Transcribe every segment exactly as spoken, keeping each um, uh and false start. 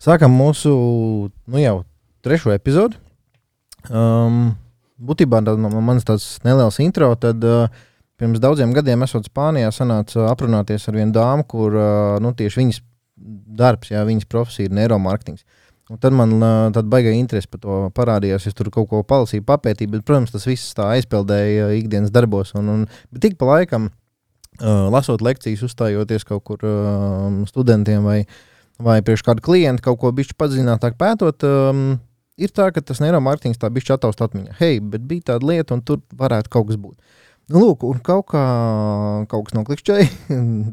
Sākam mūsu, nu jau, trešo epizodu. Um, būtībā tā, no manas tāds neliels intro, tad uh, pirms daudziem gadiem esot Spānijā sanāca aprunāties ar vienu dāmu, kur uh, nu, tieši viņas darbs, jā, viņas profesija ir neiromarketings. Un tad man uh, tad baigā interesi par to parādījās, es tur kaut ko palasīju, papētīju, bet, protams, tas viss tā aizpildēja ikdienas darbos. Un, un, bet tik pa laikam, uh, lasot lekcijas, uzstājoties kaut kur uh, studentiem vai vai priekš kādu klientu kaut ko bišķi padzinātāk pētot, um, ir tā, ka tas neiromarketings tā bišķi ataust atmiņā. Hei, bet bija tāda lieta, un tur varētu kaut kas būt. Nu, lūk, un kaut kā, kaut kas noklikšķēja,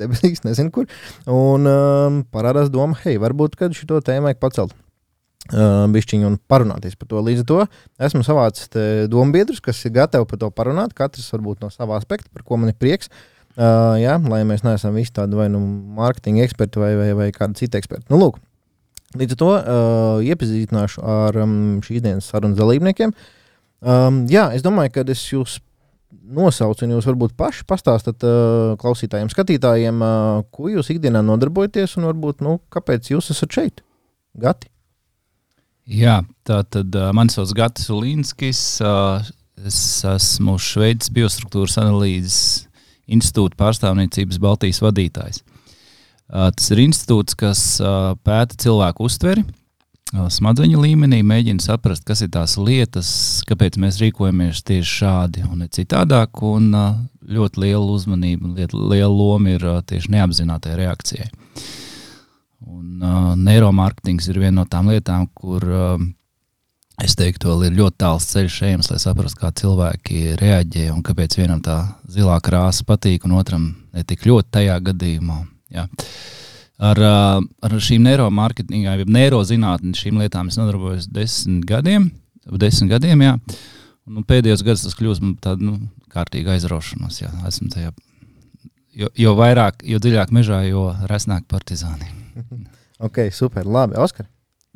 debesīs, nezinu kur, un um, parādās doma, hei, varbūt, kad šito tēmu vajag pacelt uh, bišķiņu un parunāties par to. Līdz ar to esmu savācis dombiedrus, kas ir gatavi par to parunāt, katrs varbūt no savā aspekta, par ko man ir prieks. Uh, jā, lai mēs neesam visi tādi vai nu mārketinga eksperti vai, vai, vai kādi citi eksperti. Nu, lūk, līdz ar to uh, iepazīstināšu ar um, šīs dienas sarunas dalībniekiem. Um, jā, es domāju, ka es jūs nosaucu un jūs varbūt paši pastāstat uh, klausītājiem, skatītājiem, uh, ko jūs ikdienā nodarbojaties un varbūt, nu, kāpēc jūs esat šeit? Gati? Jā, tā tad uh, mani sauc Gatis Ulīnskis, uh, es esmu Šveices biostruktūras analīzes institūta pārstāvniecības Baltijas vadītājs. Uh, tas ir institūts, kas uh, pēta cilvēku uztveri, uh, smadzeņu līmenī, mēģina saprast, kas ir tās lietas, kāpēc mēs rīkojamies tieši šādi un ne citādāk, un uh, ļoti liela uzmanība, liela, liela loma ir uh, tieši neapzinātai reakcijai. Un uh, neiromarketings ir viena no tām lietām, kur uh, es teiktu, vēl ir ļoti tāls ceļš ejams, lai saprastu, kā cilvēki reaģē un kāpēc vienam tā zilā krāsa patīk un otram ne tik ļoti tajā gadījumā. Jā. Ar, ar šīm neiromarketingā, jeb neirozinātni šīm lietām es nodarbojos desmit gadiem, desmit gadiem, jā. Un pēdējos gadus tas kļūst man tāda, nu, kārtīga aizraušanos, jā. Esmu tajā, jo, jo vairāk, jo dziļāk mežā, jo resnāk partizāni. Ok, super, labi. Oskar?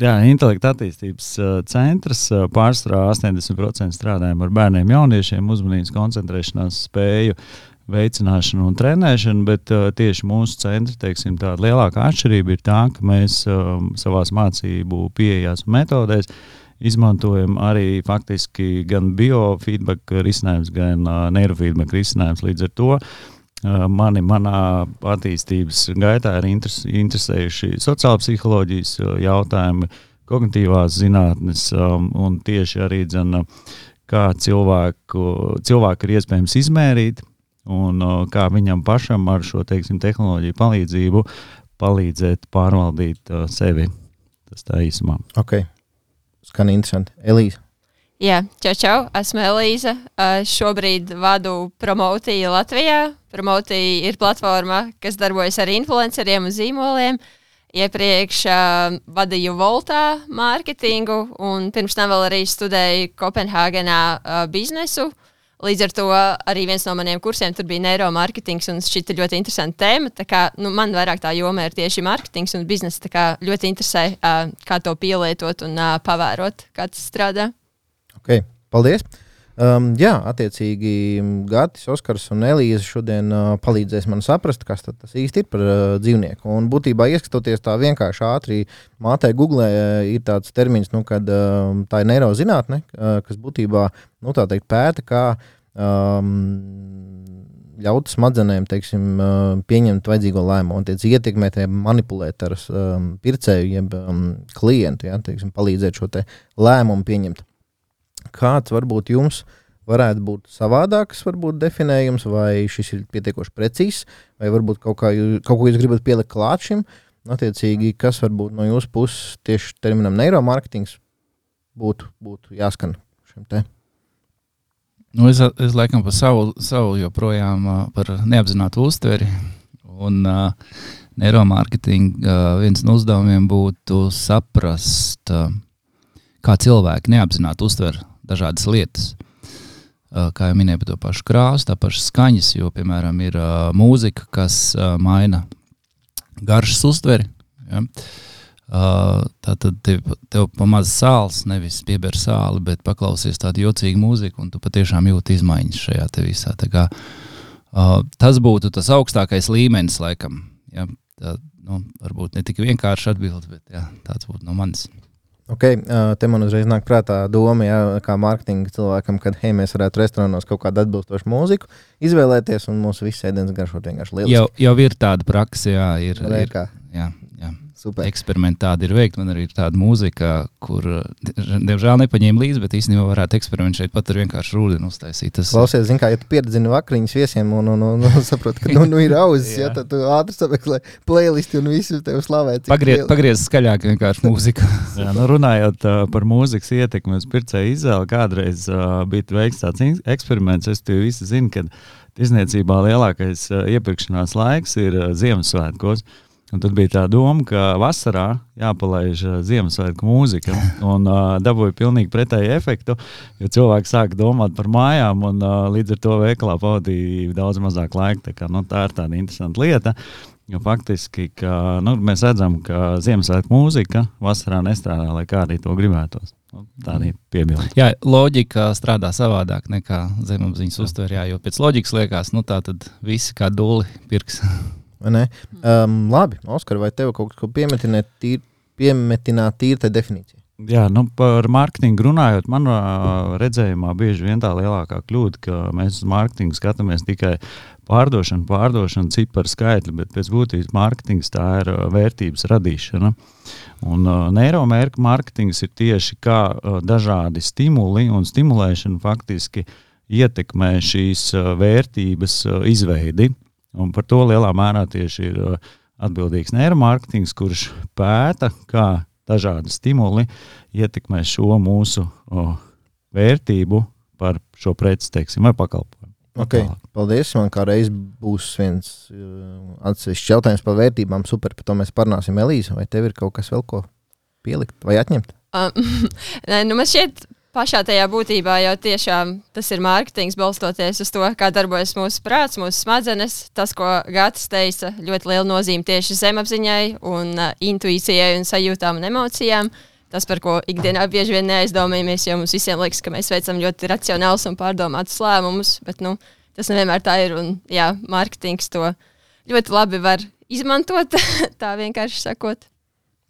Jā, intelekta attīstības uh, centrs uh, pārsvarā astoņdesmit procenti strādājam ar bērniem, jauniešiem, uzmanības koncentrēšanās spēju veicināšanu un trenēšanu, bet uh, tieši mūsu centri, teiksim, tāda lielākā atšķirība ir tā, ka mēs uh, savās mācību pieejās un metodēs izmantojam arī faktiski gan biofeedback risinājums, gan uh, neirofeedback risinājums. Līdz ar to Mani manā attīstības gaitā ir interes, interesējuši sociāla psiholoģijas jautājumi, kognitīvās zinātnes um, un tieši arī dzen, kā cilvēku, cilvēku ir iespējams izmērīt un uh, kā viņam pašam ar šo, teiksim, tehnoloģiju palīdzību palīdzēt pārvaldīt uh, sevi. Tas tā īsumā. Ok, skan interesanti. Elīza? Jā, čau, čau, esmu Elīza. Uh, šobrīd vadu Promotiju Latvijā. Promotija ir platforma, kas darbojas ar influenceriem un zīmoliem. Iepriekš uh, vadīju Voltā mārketingu un pirms tam vēl arī studēju Kopenhāgenā uh, biznesu. Līdz ar to arī viens no maniem kursiem tur bija neiromarketings un šķita ļoti interesanta tēma. Tā kā, nu, man vairāk tā joma ir tieši marketings un biznesa, tā kā ļoti interesē, uh, kā to pielietot un uh, pavērot, kā tas strādā. Ok, paldies. Um, jā, attiecīgi Gatis, Oskars un Elīza šodien uh, palīdzēs man saprast, kas tas īsti ir par uh, dzīvnieku. Un būtībā ieskatoties tā vienkārši ātri mātē Googlē, uh, ir tāds termins, nu, kad uh, tā ir neirozinātne, uh, kas būtībā, nu, tā teikt, pēta, kā um, ļaut smadzenēm, teiksim, uh, pieņemt vajadzīgo lēmumu un tiec ietekmēt, manipulēt ar um, pircēju, jeb um, klientu, ja, teiksim, palīdzēt šo te lēmumu pieņemt. Kāds varbūt jums varētu būt savādāks, varbūt definējums, vai šis ir pietiekoši precīzs, vai varbūt kaut, kā jūs, kaut ko jūs gribat pielikt klāt šim, attiecīgi, kas varbūt no jūsu puses tieši terminam neiromarketings būtu, būtu jāskan šim te? Nu, es, es laikam par savu, savu joprojām uh, par neapzinātu uztveri, un uh, neiromarketing uh, viens no uzdevumiem būtu saprast, uh, kā cilvēki neapzināti uztver dažādas lietas. Uh, kā jau minēju par to pašu krāsu, tā paša skaņas, jo, piemēram, ir uh, mūzika, kas uh, maina garšas uztveri. Ja? Uh, tātad tev, tev pa maz sāls, nevis pieber sāli, bet paklausies tādu jocīgu mūziku, un tu patiešām jūti izmaiņas šajā te visā. Tā kā, uh, tas būtu tas augstākais līmenis, laikam. Ja? tā, nu, varbūt ne tik vienkārši atbild, bet jā, tāds būtu no manis. Ok, te man uzreiz nāk prātā doma, jā, kā mārketinga cilvēkam, kad, hei, mēs varētu restorānos kaut kādu atbilstošu mūziku izvēlēties un mūsu viss ēdienas garšot vienkārši lieliski. Jau, jau ir tāda praksa, jā, ir, Vai ir kā? jā, jā. Super. Eksperimenti tādi ir veikti. Man arī ir tāda mūzika, kur, diemžēl, nepaņēma līdzi, bet īstenībā varētu eksperimentēt šeit pat ar vienkārši rūdeni uztaisīt. Tas... Klausies, zin kā, ja tu pieredzini vakariņas viesiem un, un, un, un saproti, ka nu, nu ir auzis, ja, tad tu ātri sameklē playlisti un visi tev slavē. Pagriez, pagriez skaļāk vienkārši mūziku. Jā, nu runājot uh, par mūzikas ietekmi uz pircēju izvēli, kādreiz uh, bija veikts tāds eksperiments. Es tev visi zinu, ka tirzniecībā lielākais uh, iepirkšanās laiks ir uh, Ziemassvētkos. Un tad bija tā doma, ka vasarā jāpalaiž uh, Ziemassvētku mūzika un uh, dabūja pilnīgi pretēju efektu, jo cilvēki sāka domāt par mājām un uh, līdz ar to veikalā pavadīja daudz mazāk laika. Tā, kā, nu, tā ir tāda interesanta lieta, jo faktiski ka, nu, mēs redzam, ka Ziemassvētku mūzika vasarā nestrādā, lai kā arī to gribētos. Nu, tā arī piebilda. Jā, loģika strādā savādāk nekā zemapziņas uztver, jā, jo pēc loģikas liekas, nu tā tad visi kā duli pirks. Um, labi, Oskar, vai tev kaut ko piemetināt tīri, piemetināt tīri tai definīcija? Jā, nu par mārketingu runājot, man redzējumā bieži vien tā lielākā kļūda, ka mēs uz mārketingu skatāmies tikai pārdošanu, pārdošanu, ciparu skaitļi, bet pēc būtības mārketings tā ir vērtības radīšana. Un uh, neiromērka mārketings ir tieši kā uh, dažādi stimuli un stimulēšana faktiski ietekmē šīs uh, vērtības uh, izveidi. Un par to lielā mērā tieši ir uh, atbildīgs neiromārketings, kurš pēta, kā dažādi stimuli ietekmē šo mūsu uh, vērtību par šo preci, teiksim, vai pakalpojumu. Okay, paldies. Man kā reiz būs viens uh, atsevišķs jautājums par vērtībām. Super, par to mēs parunāsim. Elīza, vai tev ir kaut kas vēl ko pielikt vai atņemt? Um, nē, nu man šķiet, pašā tajā būtībā jau tiešām tas ir mārketings, balstoties uz to, kā darbojas mūsu prāts, mūsu smadzenes. Tas, ko Gatis teica, ļoti liela nozīme tieši zemapziņai un uh, intuīcijai un sajūtām un emocijām. Tas, par ko ikdienā bieži vien neaizdomājamies, jo mums visiem liekas, ka mēs veicam ļoti racionālus un pārdomātus lēmumus, bet nu, tas nevienmēr tā ir. Un, jā, mārketings to ļoti labi var izmantot, tā vienkārši sakot.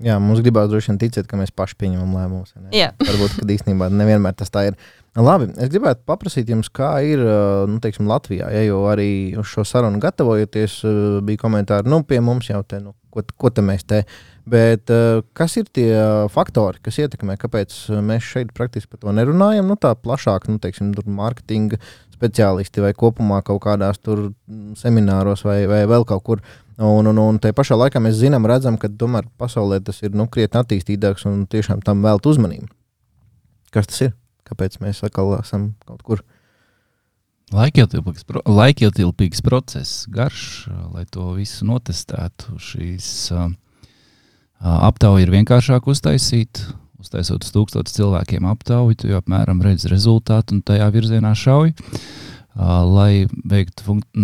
Jā, mums gribās droši vien ticēt, ka mēs paši pieņemam lēmumus. Varbūt, ka īstenībā nevienmēr tas tā ir. Labi, es gribētu paprasīt jums, kā ir nu, teiksim, Latvijā, ja, jo arī uz šo sarunu gatavojoties bija komentāri, nu, pie mums jau te, nu, ko, ko te mēs te. Bet kas ir tie faktori, kas ietekmē, kāpēc mēs šeit praktiski par to nerunājam, nu, tā plašāk, nu, teiksim, tur mārketinga speciālisti vai kopumā kaut kādās tur semināros vai, vai vēl kaut kur. Un, un, un tajā pašā laikā mēs zinām, redzam, ka tomēr pasaulē tas ir nu, krietni attīstītāks un tiešām tam vēlt uzmanību. Kas tas ir? Kāpēc mēs atkal esam kaut kur? Laikietilpīgs, pro, laikietilpīgs process, garš, lai to visu notestētu. Šīs uh, aptauja ir vienkāršāk uztaisīt. Uztaisot uz tūkstotis cilvēkiem aptauju, tu jau apmēram redz rezultātu un tajā virzienā šauj. Uh, lai veiktu funk-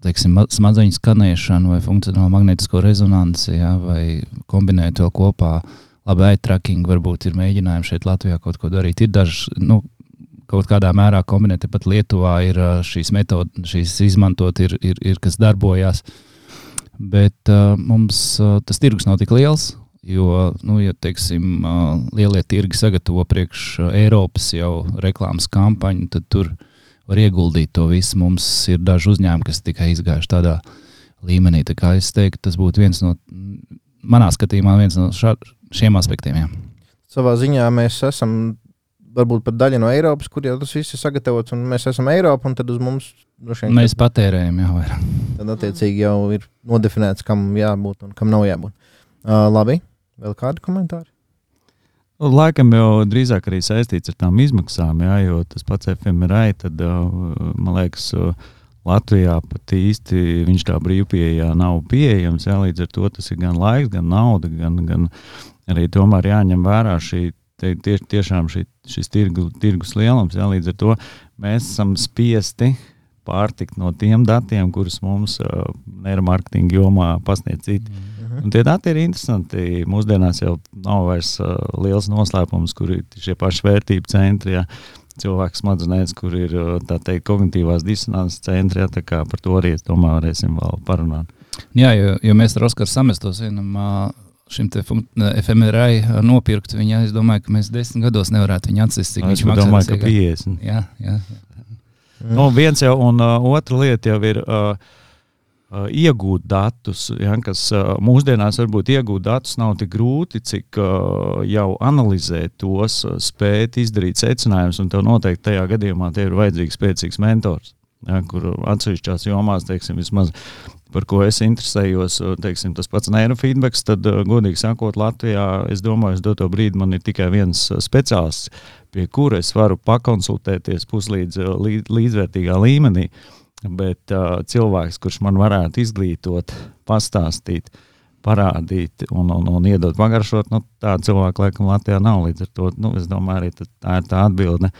teiksim, smadzeņu skanēšanu vai funkcionālu magnētisko rezonanci, ja, vai kombinēt vēl kopā labi eye tracking, varbūt ir mēģinājumi šeit Latvijā kaut ko darīt. Ir daži, nu, kaut kādā mērā kombinēt, pat Lietuvā ir šīs metodas, šīs izmantot, ir, ir, ir kas darbojās, bet uh, mums uh, tas tirgus nav tik liels, jo, nu, ja, teiksim, uh, lielie tirgi sagatavo priekš uh, Eiropas jau reklāmas kampaņu, tad tur var ieguldīt to visu. Mums ir daži uzņēmumi, kas tikai izgājuši tādā līmenī. Tā kā es teiktu, tas būtu viens no, manā skatījumā, viens no šā, šiem aspektiem. Jā. Savā ziņā mēs esam varbūt pat daļa no Eiropas, kur jau tas viss ir sagatavots, un mēs esam Eiropa, un tad uz mums droši vien... Mēs patērējam, jā, vairāk. Tad attiecīgi jau ir nodefinēts, kam jābūt un kam nav jābūt. Uh, labi, vēl kādi komentāri? Laikam jau drīzāk arī saistīts ar tām izmaksām, jā, jo tas pats F M R I, tad, man liekas, Latvijā pat īsti viņš tā brīvpieejā nav pieejams, jā, līdz ar to tas ir gan laiks, gan nauda, gan, gan arī tomēr jāņem vērā šī, tie, tie, tiešām šī, šis tirgu, tirgus lielums, jā, līdz ar to mēs esam spiesti pārtikt no tiem datiem, kurus mums uh, neiromārketinga jomā pasniedz citi. Mm. Un tie dati ir interesanti. Mūsdienās jau nav vairs uh, liels noslēpums, kur ir šie paši vērtību centri, ja, cilvēku smadzenēs, kur ir tā teikt kognitīvās disonances centri, ja, tā kā par to arī, es domāju, varēsim vēl parunāt. Jā, jo, jo mēs ar Oskaru samestos vienam šim te F M R I nopirkt viņa, es domāju, ka mēs desmit gados nevarētu viņu atsist, cik viņš maksā. Es domāju, ka piecdesmit. Jā, jā. Mm. Nu, viens jau, un uh, otra lieta jau ir uh, uh, iegūt datus, ja, kas uh, mūsdienās varbūt iegūt datus nav tik grūti, cik uh, jau analizēt tos, uh, spēt izdarīt secinājumus, un tev noteikti tajā gadījumā te ir vajadzīgs spēcīgs mentors, ja, kur atsevišķās jomās, teiksim, vismaz par ko es interesējos, teiksim, tas pats neirofeedbacks, tad, godīgi sakot, Latvijā, es domāju, es doto brīdi man ir tikai viens speciālists, pie kura es varu pakonsultēties puslīdz līdz, līdzvērtīgā līmenī, bet uh, cilvēks, kurš man varētu izglītot, pastāstīt, parādīt un, un, un iedot pagaršot, nu, tāda cilvēka laikam Latvijā nav, līdz ar to, nu, es domāju, arī tā ir tā atbilde,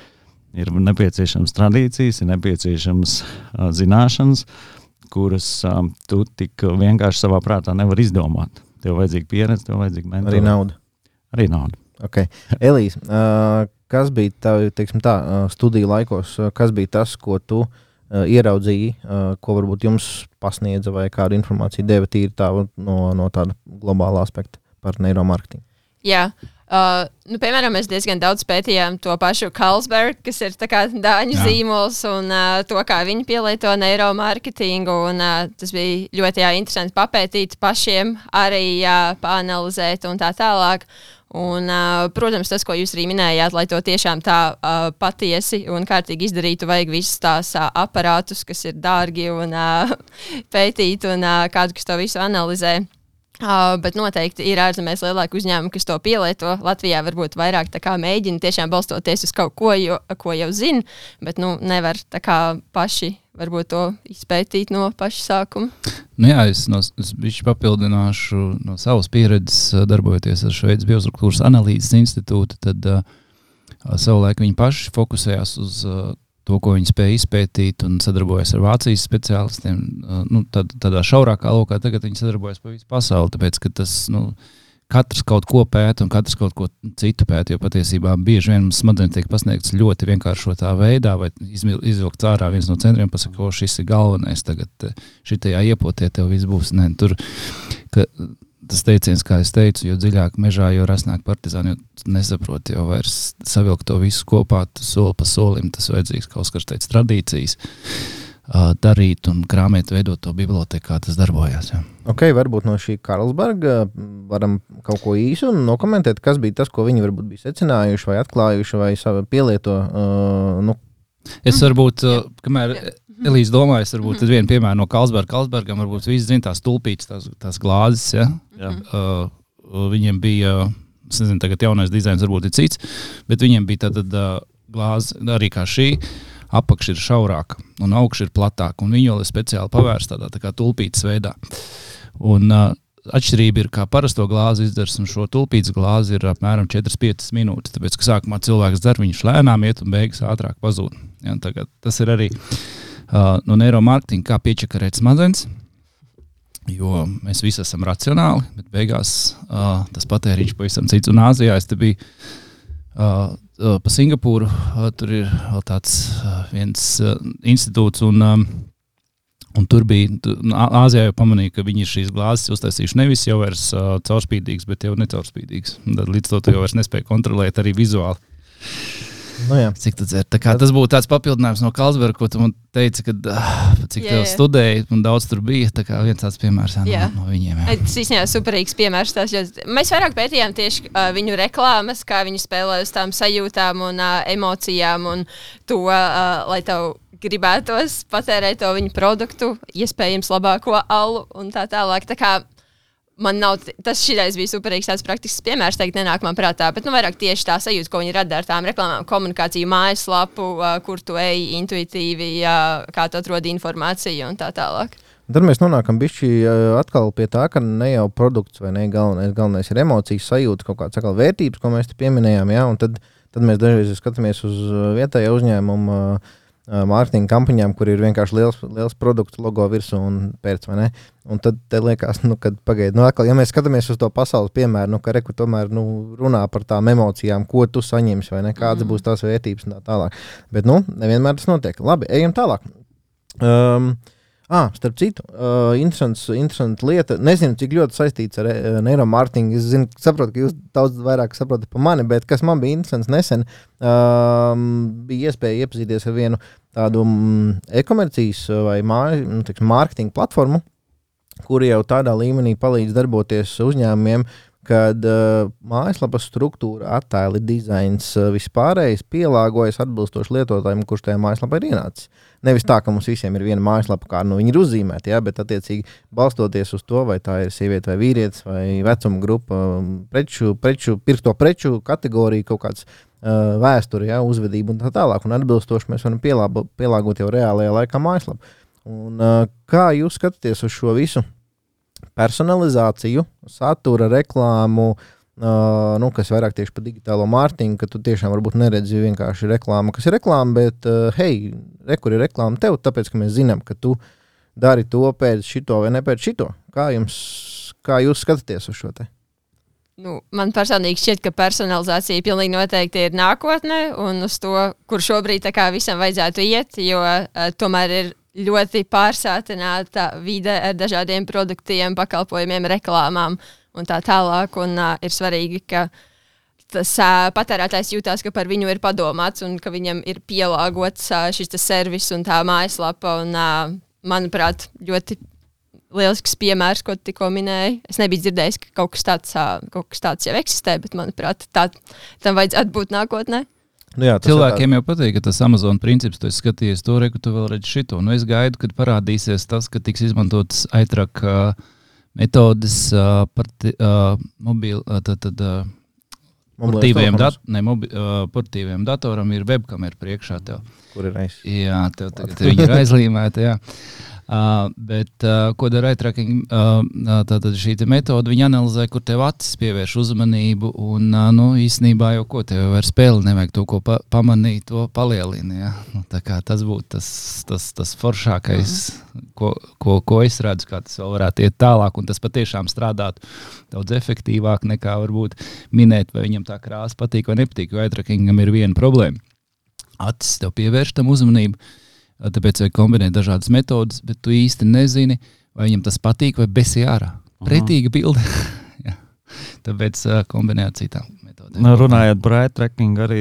ir nepieciešams tradīcijas, ir nepieciešams uh, zināšanas, kuras um, tu tik vienkārši savā prātā nevar izdomāt. Tev vajadzīga pieredze, tev vajadzīga mentori. Arī nauda. Arī nauda. Ok. Elīze, uh, kas bija tā, teiksim tā, uh, studiju laikos, uh, kas bija tas, ko tu uh, ieraudzīji, uh, ko varbūt jums pasniedza vai kādu informāciju deva tīri tā no, no tāda globāla aspekta par neuromarketingu? Jā. Uh, nu, piemēram, mēs diezgan daudz pētījām to pašu Carlsberg, kas ir tā kā dāņu jā. zīmols, un uh, to, kā viņi pielieto neiromārketingu, un uh, tas bija ļoti jā, interesanti papētīt pašiem, arī jā, paanalizēt un tā tālāk. Un, uh, protams, tas, ko jūs arī minējāt, lai to tiešām tā uh, patiesi un kārtīgi izdarītu, vajag visus tās uh, aparātus, kas ir dārgi un uh, pētīt, un uh, kādu, kas to visu analizē. Uh, bet noteikti ir ārzemēs lielāki uzņēmumi, kas to pielieto. Latvijā varbūt vairāk tā kā mēģina tiešām balstoties uz kaut ko, jo, ko jau zina, bet nu, nevar tā kā paši varbūt to izpētīt no paša sākuma. Nu jā, es, no, es bišķi papildināšu no savas pieredzes, darbojoties ar Šveices biostruktūras analīzes institūtu, tad uh, savulaik viņi paši fokusējās uz uh, to, ko viņi spēja izpētīt un sadarbojas ar Vācijas speciālistiem, nu, tad, tādā šaurākā lokā, tagad viņi sadarbojas pa visu pasauli, tāpēc, ka tas, nu, katrs kaut ko pēta un katrs kaut ko citu pēta, jo patiesībā bieži vien mums smadzenes tiek pasniegts ļoti vienkāršotā veidā, vai izvilkts ārā viens no centriem, pasaka, o, šis ir galvenais, tagad šitajā iepotē tev viss būs, ne, tur, ka tas teiciens, kā es teicu, jo dziļāk mežā, jo rasnāk partizāni, jo nesaprot, jo vairs savilkt to visu kopā, soli pa solim, tas vajadzīgs kaut kas teica tradīcijas, uh, darīt un krāmēt, veidot to biblioteku, kā tas darbojās. Jā. Ok, varbūt no šī Carlsberga varam kaut ko īsu un nokomentēt, kas bija tas, ko viņi varbūt bija secinājuši vai atklājuši vai pielieto. Uh, nu. Es varbūt, uh, kamēr Elīze domājas, varbūt tad vienu piemēru no Carlsberga. Carlsbergam varbūt visi zina tās tulpītes, tās, tās glāzes, ja? Jā. Uh, viņiem bija, es nezinu, tagad jaunais dizains varbūt ir cits, bet viņiem bija tātad uh, glāze arī kā šī, apakš ir šaurāka un augš ir platāka, un viņi vēl ir speciāli pavērsta tādā tā kā tulpītes veidā. Un uh, atšķirība ir, kā parasto glāzi izdars, un šo tulpītes glāzi ir apmēram četras piecas minūtes, tāpēc, ka sākumā cilvēks dzer, viņš lēnām iet un beigas ātrāk pazūd. Ja, tagad tas ir arī Uh, no neiromārketinga, kā piečakarēt smadzenes, jo mēs visi esam racionāli, bet beigās uh, tas patēriņš pavisam cits. Un Āzijā es te biju uh, uh, pa Singapūru, uh, tur ir vēl tāds uh, viens uh, institūts, un, um, un tur bija, tu, Āzijā jau pamanīja, ka viņi ir šīs glāzes uztaisījuši nevis jau vairs uh, caurspīdīgs, bet jau necaurspīdīgs. Tad līdz to tu jau vairs nespēja kontrolēt arī vizuāli. Nu, jā. Cik tu dzer? Tā kā tas būtu tāds papildinājums no Carlsberga, ko tu man teici, kad uh, cik tev studēji un daudz tur bija, tā kā viens tāds piemērs jā, no, no viņiem. Jā. Tas īstenībā superīgs piemērs. Tās, mēs vairāk pētījām tieši uh, viņu reklāmas, kā viņi spēlē uz tām sajūtām un uh, emocijām un to, uh, lai tev gribētos patērēt to viņu produktu, iespējams labāko alu un tā tālāk. Tā kā man nav, tas šitais bija superīgs tāds praktisks piemērs, teikt, nenāk man prātā, bet nu vairāk tieši tā sajūta, ko viņi rada ar tām reklāmām, komunikāciju, mājaslapu, uh, kur tu ej intuitīvi, uh, kā tu atrodi informāciju un tā tālāk. Tad mēs nonākam bišķi atkal pie tā, ka ne jau produkts vai ne galvenais, galvenais ir emocijas sajūta, kaut kāds atkal vērtības, ko mēs te pieminējām, ja? Un tad, tad mēs dažreiz skatāmies uz vietējo uzņēmumu mārketinga kampaņām, kur ir vienkārši liels, liels produktu logo virsū un pēc, vai ne? Un tad te liekas, nu, kad pagaid, nu, atkal, ja mēs skatāmies uz to pasaules piemēru, nu, ka reku tomēr, nu, runā par tām emocijām, ko tu saņemsi, vai ne, kādas mm. būs tās vērtības un tā tālāk. Bet, nu, nevienmēr tas notiek. Labi, ejam tālāk. Um, Ah, starp citu, uh, interesants, interesants lieta. Nezinu, cik ļoti saistīts ar uh, neiromārketingu. Es zinu, saprotu, ka jūs daudz vairāk saprotat par mani, bet kas man bija interesants nesen, uh, bija iespēja iepazīties ar vienu tādu mm, e-komercijas vai māju, nu, teiksim, mārketinga platformu, kuri jau tādā līmenī palīdz darboties uzņēmumiem, kad uh, mājaslapas struktūra, attēli, dizains, uh, vispārējais pielāgojas atbilstoši lietotājiem, kurš tajā mājaslapā ir ienācis. Nevis tā, ka mums visiem ir viena mājaslapa, kā nu, viņi ir uzzīmēti, ja, bet attiecīgi balstoties uz to, vai tā ir sieviete vai vīrietis vai vecuma grupa, preču, preču, pirkto preču kategorija, kaut kāds uh, vēsture, ja, uzvedība un tā tālāk. Un atbilstoši mēs varam pielāgo, pielāgot jau reālajā laikā mājaslapu. Un, uh, kā jūs skatāties uz šo visu personalizāciju, satura, reklāmu, uh, nu, kas vairāk tieši par digitālo mārketingu, ka tu tiešām varbūt neredzi vienkārši reklāmu, kas ir reklāma, bet, uh, hei, re, kur ir reklāma tev, tāpēc, ka mēs zinām, ka tu dari to pēc šito vai ne pēc šito. Kā jums, kā jūs skatāties uz šo te? Nu, man personīgi šķiet, ka personalizācija pilnīgi noteikti ir nākotne un uz to, kur šobrīd tā kā visam vajadzētu iet, jo uh, tomēr ir ļoti pārsātināta vide ar dažādiem produktiem, pakalpojumiem, reklāmām un tā tālāk. Un, uh, ir svarīgi, ka tas uh, patērētājs jūtās, ka par viņu ir padomāts un ka viņam ir pielāgots uh, šis servis un tā mājaslapa. Un, uh, manuprāt, ļoti lielisks piemērs, ko tikko minēju. Es nebiju dzirdējis, ka kaut kas tāds, uh, kaut kas tāds jau eksistē, bet, manuprāt, tā, tam vajadzētu būt nākotnē. Nu jā, cilvēkiem jau patīk, ka tas Amazon princips, tu esi skatījies to, re, ka tu vēl redzi šito. Nu, es gaidu, kad parādīsies tas, ka tiks izmantotas aitrak uh, metodes uh, parti, uh, mobīl, uh, tad, tad, uh, portīviem, dat, ne, mobi, uh, portīviem datoram ir webkamera priekšā tev. Kur ir aiz? Jā, tev tagad viņi ir aizlīmēti, jā. Uh, bet uh, ko dara eye tracking, uh, tātad šī metode, viņi analizē, kur tev acis pievērš uzmanību un, uh, nu, īstenībā jau ko tev ar spēli nevajag to, ko pa, pamanīt, to palielini, ja? Nu, tā kā tas būtu tas, tas, tas foršākais, mm. ko, ko, ko es redzu, kā tas vēl varētu iet tālāk un tas patiešām strādātu daudz efektīvāk nekā varbūt minēt, vai viņam tā krāsa patīk vai nepatīk, jo eye trackingam ir viena problēma. Acis tev pievērš tam uzmanību, tāpēc vajag kombinēt dažādas metodas, bet tu īsti nezini, vai viņam tas patīk vai besi ārā. Pretīga bilde. Tāpēc uh, kombinēt citām metodēm. Nu, runājot par eye tracking, arī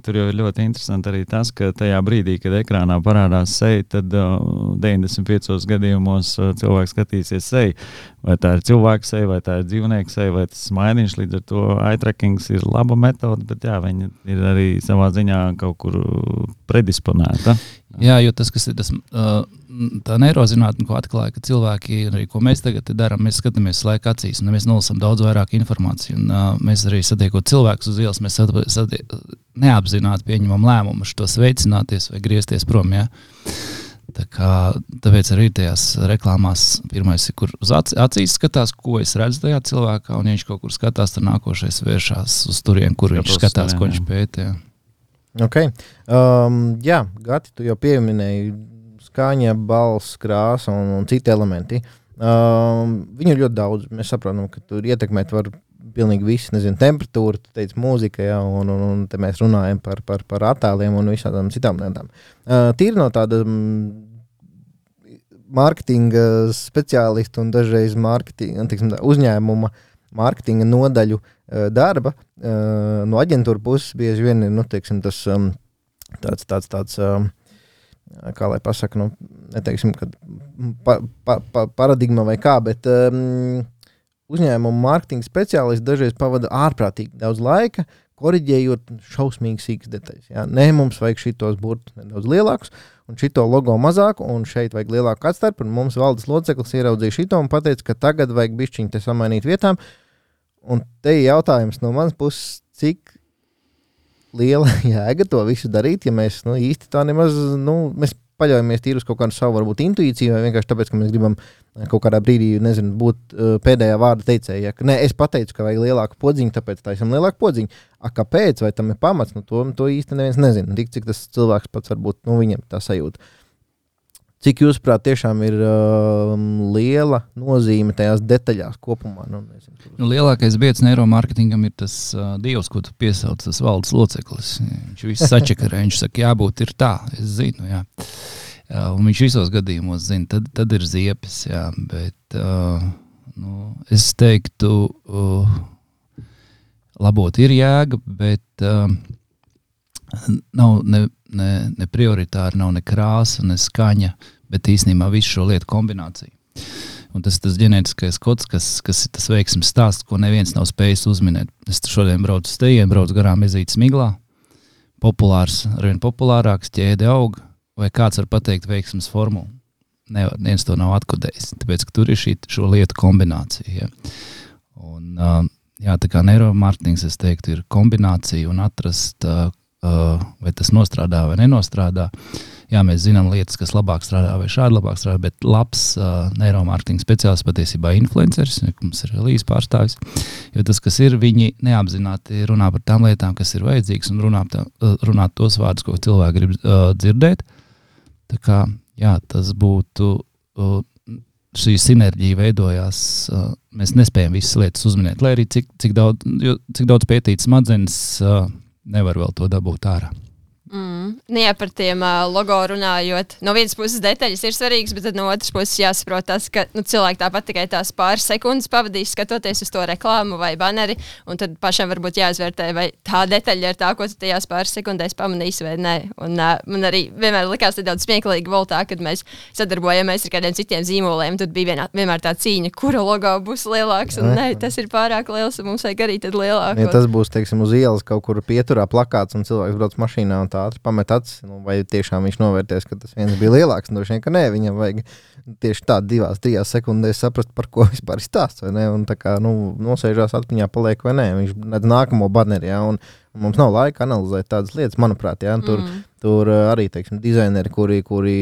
tur jau ir ļoti interesanti arī tas, ka tajā brīdī, kad ekrānā parādās seja, tad uh, deviņdesmit piecos gadījumos uh, cilvēks skatīsies seju. Vai tā ir cilvēka seja, vai tā ir dzīvnieka seja, vai tas smaidīņš, līdz ar to eye trackings ir laba metode, bet jā, viņa ir arī savā ziņā kaut kur predisponēta. Jā, jo tas, kas ir tas, tā neirozinātne, ko atklāja, ka cilvēki, arī ko mēs tagad darām, mēs skatāmies laika acīs, un mēs nolasām daudz vairāk informāciju, un uh, mēs arī satiekot cilvēkus uz ielas, mēs satie, neapzināti pieņemam lēmumu šitos veicināties vai griezties prom, jā. Tā kā, tāpēc arī tajās reklāmās pirmais ir, kur uz acīs skatās, ko es redzu tajā cilvēkā, un ja viņš kaut kur skatās, tad nākošais vēršās uz turien, kur viņš skatās, ko viņš pēta, jā. Okay. Um, jā, Gati, tu jau pieminēji skaņa, balss, krāsa un, un citi elementi. Um, viņu ir ļoti daudz. Mēs saprotam, ka tur ietekmēt var pilnīgi viss, nezinu, temperatūra, tu teici mūzika, jā, un, un, un te mēs runājam par, par, par attēliem un visādām citām lietām. Uh, tīri no tāda mm, mārketinga speciālistu un dažreiz mārketinga, tiksim, uzņēmuma mārketinga nodaļu uh, darba, uh, no aģentūra puses bieži vien ir, nu, teiksim, tas um, tāds, tāds, tāds um, kā lai pasaka, nu, neteiksim, kad pa, pa, pa, paradigma vai kā, bet um, uzņēmuma mārketinga speciālisti dažreiz pavada ārprātīgi daudz laika, koriģējot šausmīgi sīkas detaļas. Jā. Nē, mums vajag šitos burtus nedaudz lielākus, un šito logo mazāku, un šeit vajag lielāku atstarpu, un mums valdes loceklis ieraudzīja šito un pateica, ka tagad vajag bišķiņu te samainīt vietām. Un te ir jautājums no manas puses, cik liela jēga to visu darīt, ja mēs nu, īsti tā nemaz, nu, mēs paļaujamies tīri uz kaut kādu savu varbūt intuīciju, vai vienkārši tāpēc, ka mēs gribam kaut kādā brīdī, nezinu, būt uh, pēdējā vārda teicēja. Ja, nē, es pateicu, ka vajag lielāku podziņu, tāpēc taisam lielāku podziņu. A, kāpēc, vai tam ir pamats, nu, to, to īsti neviens nezina. Tik, cik tas cilvēks pats varbūt, nu, viņam tā sajūta. Cik jūsuprāt tiešām ir uh, liela nozīme tajās detaļās kopumā? Nu, nezinu, nu, lielākais biedrs neiromārketingam ir tas uh, dievs, ko tu piesauc, tas valdes loceklis. Viņš viss sačakarē, viņš saka, jābūt ir tā, es zinu, jā. Jā, un viņš visos gadījumos zina, tad, tad ir ziepes, jā, bet uh, nu, es teiktu, uh, labot ir jēga, bet uh, nav ne, ne, ne prioritāri, nav ne krāsa, ne skaņa, bet īstenībā visu šo lietu kombināciju. Un tas ir tas ģenētiskais kods, kas, kas ir tas veiksmes stāsts, ko neviens nav spējis uzminēt. Es šodien braucu uz tejienu, braucu garām Ezītes Miglā, populārs, arvien populārāks, ķēde aug, vai kāds var pateikt veiksmes formulu? Nevar, neviens to nav atkodējis, tāpēc, ka tur ir šī šo lietu kombinācija. Ja? Un, uh, jā, tā kā neiromārketings, es teiktu, ir kombinācija un atrast, uh, uh, vai tas nostrādā vai nenostrādā. Jā, mēs zinām lietas, kas labāk strādā vai šādi labāk strādā, bet labs uh, neiromārketinga speciālists patiesībā influenceris, mums ir Elīze pārstāvis, jo tas, kas ir, viņi neapzināti runā par tām lietām, kas ir vajadzīgas un runā, tā, runā tos vārdus, ko cilvēki grib uh, dzirdēt. Tā kā, jā, tas būtu, uh, šī sinerģija veidojās, uh, mēs nespējam visas lietas uzminēt, lai arī cik, cik, daudz, jo, cik daudz pētīt smadzenes uh, nevar vēl to dabūt ārā. Mm. Nu jā, par tiem uh, logo runājot. No vienas puses detaļas ir svarīgas, bet tad no otras puses jāsaprot tas, ka nu, cilvēki tāpat tikai tās pāris sekundes pavadīs skatoties uz to reklāmu vai baneri, un tad pašam varbūt jāizvērtē, vai tā detaļa ir tā, ko tu tajās pāris sekundēs pamanīsi vai nē. Un uh, man arī vienmēr likās nedaudz smieklīgi voltā, kad mēs sadarbojamies ar kādiem citiem zīmoliem, tad bija vienā, vienmēr tā cīņa, kura logo būs lielāks, un nē, tas ir pārāk liels, un mums vajag arī tad lielāku. Ja tas būs, teiksim, uz ielas kaut kur pieturā plakāts, un cilvēks brauc mašīnā un tā ātri pamet acis, nu, vai tiešām viņš novērties, ka tas viens bija lielāks, un droši vien, ka nē, viņam vajag tieši tā divās, trijās sekundēs saprast, par ko vispār ir stāsts, vai ne, un tā kā, nu, nosēžās atmiņā paliek vai nē, viņš nedz nākamo baneri, jā, un, un mums nav laika analizēt tādas lietas, manuprāt, jā, tur, mm. tur arī, teiksim, dizaineri, kuri, kuri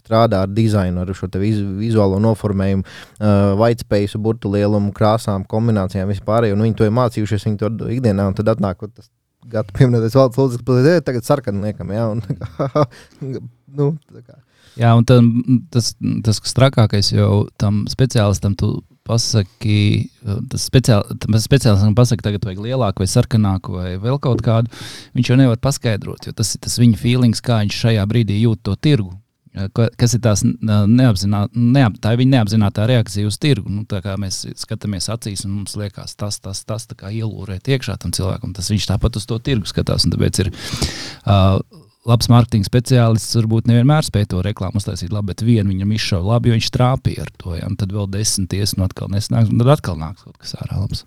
strādā ar dizainu, ar šo te vizu, vizuālo noformējumu, uh, whitespace, burtu lielumu, krāsām, kombinācijām, vispārējo, un viņi to ir mācījušies, viņi to ikdienā, un tad atnāk, tas gadu pieminētais valdes lūdzes, ka tagad sarkanu liekam, jā, un tā kā, nu, tā kā. Jā, un tad, tas, tas, kas trakākais jau tam speciālistam tu pasaki, tas speciāli, speciālistam pasaki, tagad vajag lielāku vai sarkanāku vai vēl kaut kādu, viņš jau nevar paskaidrot, jo tas ir tas viņa feelings, kā viņš šajā brīdī jūt to tirgu. Kas ir tās neapzināt, neap, tā ir viņa neapzinātā reakcija uz tirgu. Nu, tā kā mēs skatāmies acīs un mums liekas tas, tas, tas, tā kā ielūrēt iekšā tam cilvēkam, tas viņš tāpat uz to tirgu skatās. Un tāpēc ir uh, labs mārketinga speciālists, varbūt nevienmēr spēj to reklāmu uztaisīt labi, bet vienu viņam izšauja labi, jo viņš trāpīja ar to. Ja? Un tad vēl desmit ies, un atkal nesnāks, un tad atkal nāks kaut kas ārā labs.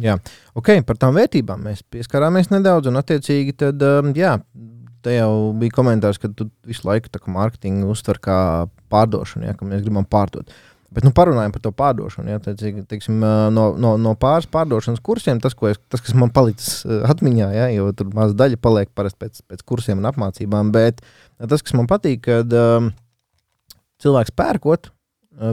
Jā, ok, par tām vērtībām mēs pieskarāmies nedaudz, un attiecīgi tad, um, jā, te jau bija komentārs, ka tu visu laiku tā kā mārketingu uztver kā pārdošanu, ja, ka mēs gribam pārdot. Bet nu parunājam par to pārdošanu, ja, teiksim, teiksim, no, no, no pāris pārdošanas kursiem, tas, ko es, tas kas man palicis atmiņā, ja, jo tur maz daļa paliek parasti pēc, pēc kursiem un apmācībām, bet tas, kas man patīk, kad um, cilvēks pērkot,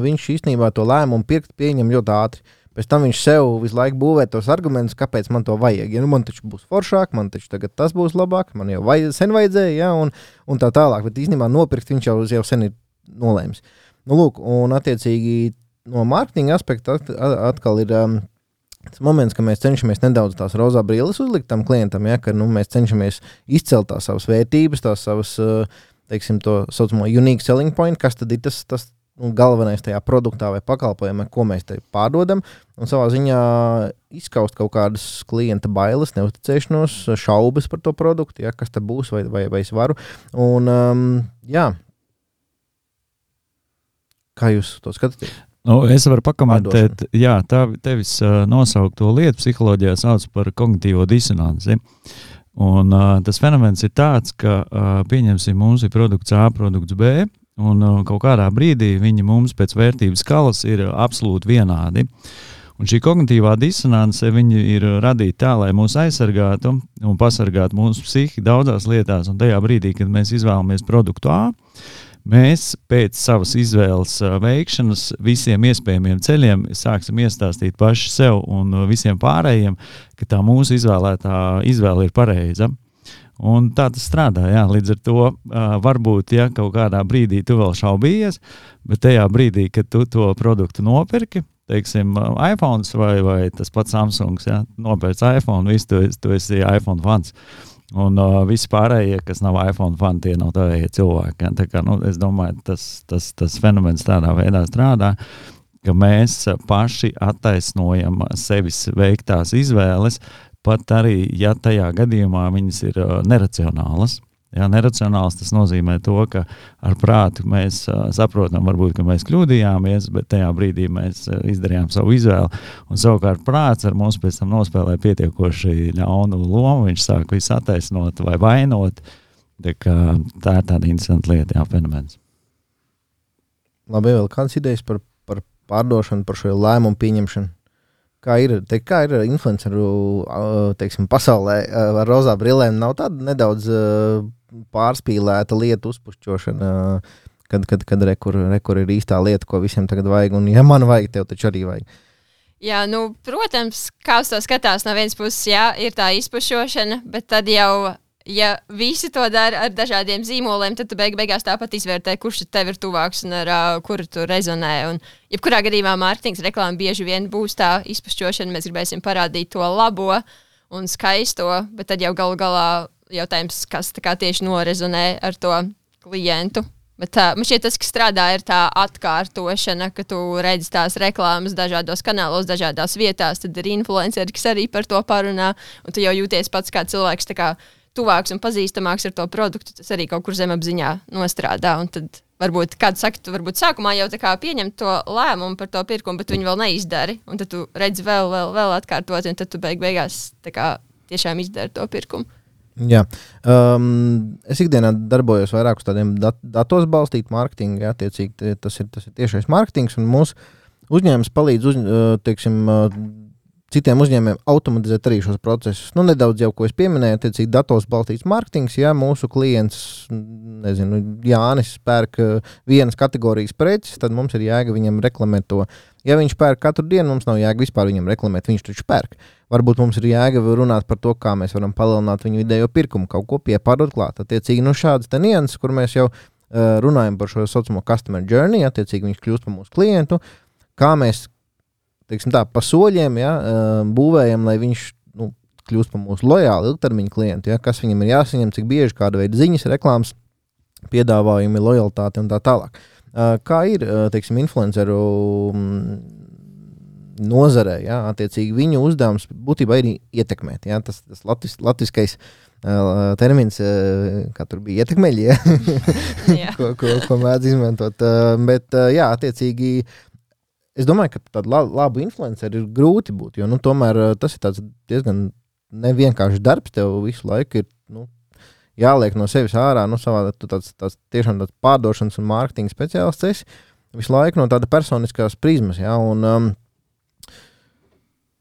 viņš īstenībā to lēmumu pirkt pieņem ļoti ātri. Pēc tam viņš sev visu laiku būvē tos argumentus, kāpēc man to vajag. Ja, nu, man taču būs foršāk, man taču tagad tas būs labāk, man jau vajag, sen vajadzēja, ja, un, un tā tālāk. Bet īstenībā nopirkt viņš jau, jau sen ir nolēmis. Nu, lūk, un attiecīgi no mārketinga aspekta atkal ir um, tas moments, ka mēs cenšamies nedaudz tās rozā brīles uzlikt tam klientam, ja, ka nu, mēs cenšamies izcelt tās savas vērtības, tās savas, teiksim, to saucamo unique selling point, kas tad ir tas, tas un galvenais tajā produktā vai pakalpojumā, ko mēs te pārdodam, un savā ziņā izskaust kaut kādas klienta bailes, neuzticēšanos, šaubas par to produktu, ja, kas te būs vai, vai, vai es varu. Un, um, jā, kā jūs to skatāties? Nu, es varu pakomentēt, jā, tā tevis uh, nosaukto lietu psiholoģijā sauc par kognitīvo disonanci. Un uh, tas fenomens ir tāds, ka uh, pieņemsim, mums ir produkts A, produkts B, un uh, kaut kādā brīdī viņi mums pēc vērtības skalas ir absolūti vienādi. Un šī kognitīvā disonance viņi ir radīta tā, lai mūs aizsargātu un pasargātu mūsu psihi daudzās lietās. Un tajā brīdī, kad mēs izvēlamies produktu A, mēs pēc savas izvēles uh, veikšanas visiem iespējamiem ceļiem sāksim iestāstīt paši sev un uh, visiem pārējiem, ka tā mūsu izvēlētā izvēle ir pareiza. Un tā tas strādā, jā, līdz ar to uh, varbūt, ja kaut kādā brīdī tu vēl šaubījies, bet tajā brīdī, kad tu to produktu nopirki, teiksim, iPhones vai, vai tas pats Samsungs, ja, nopērc iPhone, visu tu, tu esi iPhone fans. Un uh, visi pārējie, kas nav iPhone fani, tie nav tādie cilvēki. Ja? Tā kā, nu, es domāju, tas, tas, tas fenomens tādā veidā strādā, ka mēs paši attaisnojam sevis veiktās izvēles, pat arī, ja tajā gadījumā viņas ir uh, neracionālas. Ja, neracionāls tas nozīmē to, ka ar prātu mēs uh, saprotam, varbūt, ka mēs kļūdījāmies, bet tajā brīdī mēs uh, izdarījām savu izvēli. Un savukārt prāts ar mums pēc tam nospēlē pietiekoši ļaunu lomu, viņš sāk visu attaisnot vai vainot. Tā, kā, tā ir tāda interesanta lieta, jā, fenomens. Labi, vēl kādas idejas par, par pārdošanu, par šo lēmumu pieņemšanu? Kā ir, te, kā ir influenceru, teiksim, pasaulē ar rozā brillēm? Nav tāda nedaudz pārspīlēta lieta uzpušķošana, kad, kad, kad rekur, rekur ir īstā lieta, ko visiem tagad vajag, un ja man vajag, tev taču arī vajag. Jā, nu, protams, kā uz to skatās no vienas puses, jā, ir tā izpušķošana, bet tad jau, ja visi to dara ar dažādiem zīmoliem, tad tu beig beigās tāpat izvērtē, kurš tev ir tuvāks un ar uh, kuru tu rezonē. Un jebkurā gadījumā mārketings reklāma bieži vien būs tā izpušķošana, mēs gribēsim parādīt to labo un skaisto, bet tad jau galu galā jautājums, kas tā kā tieši norezonē ar to klientu. Bet tā, man šķiet, tas, kas strādā, ir tā atkārtošana, ka tu redzi tās reklāmas dažādos kanālos, dažādās vietās, tad ir influenceri, kas arī par to parunā, un tu jau jūties pats kā cilvēks tā kā tuvāks un pazīstamāks ar to produktu, tas arī kaut kur zemapziņā nostrādā. Un tad varbūt kāds saka, tu varbūt sākumā jau tā kā pieņem to lēmumu par to pirkumu, bet viņi vēl neizdari. Un tad tu redzi vēl, vēl, vēl atkārtot, un tad tu beig beigās tā kā tiešām izdari to pirkumu. Jā. Um, es ikdienā darbojos vairāk uz tādiem dat- datos balstīt mārketingu, jā, attiecīgi tas ir, tas ir tiešais mārketings, un mūsu uzņēmums palīdz uz, teiksim, citiem uzņēmumiem automatizēt arī šos procesus. Nu, nedaudz jau, ko es pieminēju, attiecīgi datos balstīts mārketings, ja mūsu klients, nezinu, Jānis pērk vienas kategorijas preces, tad mums ir jēga viņam reklamēt to. Ja viņš pērk katru dienu, mums nav jēga vispār viņam reklamēt, viņš taču pērk. Varbūt mums ir jēga runāt par to, kā mēs varam palielināt viņu vidējo pirkumu, kaut ko piepārdot klāt. Attiecīgi, nu šādas te nianses, kur mēs jau uh, runājam par šo saucamo customer journey, attiecīgi viņš kļūst par mūsu klientu, kā mēs teiksim tā, pa soļiem, ja, būvējam, lai viņš nu, kļūst par mūsu lojālu ilgtermiņu klientu, ja, kas viņam ir jāsaņem, cik bieži, kāda veida ziņas, reklāmas, piedāvājumi, lojalitāte un tā tālāk. Kā ir, teiksim, influenceru nozarē, ja, attiecīgi viņu uzdevums būtībā ir ietekmēt, ja, tas, tas latis, latiskais uh, termins, uh, kā tur bija ietekmeļi, ja, ko, ko, ko mēdz izmantot, uh, bet, uh, jā, attiecīgi, es domāju, ka tādu labu influenceru ir grūti būt, jo nu, tomēr tas ir tāds diezgan nevienkāršs darbs. Tev visu laiku ir nu, jāliek no sevis ārā, nu, savā, tu tāds, tāds tiešām tāds pārdošanas un mārketinga speciālists esi visu laiku no tāda personiskās prizmas. Ja, un, um,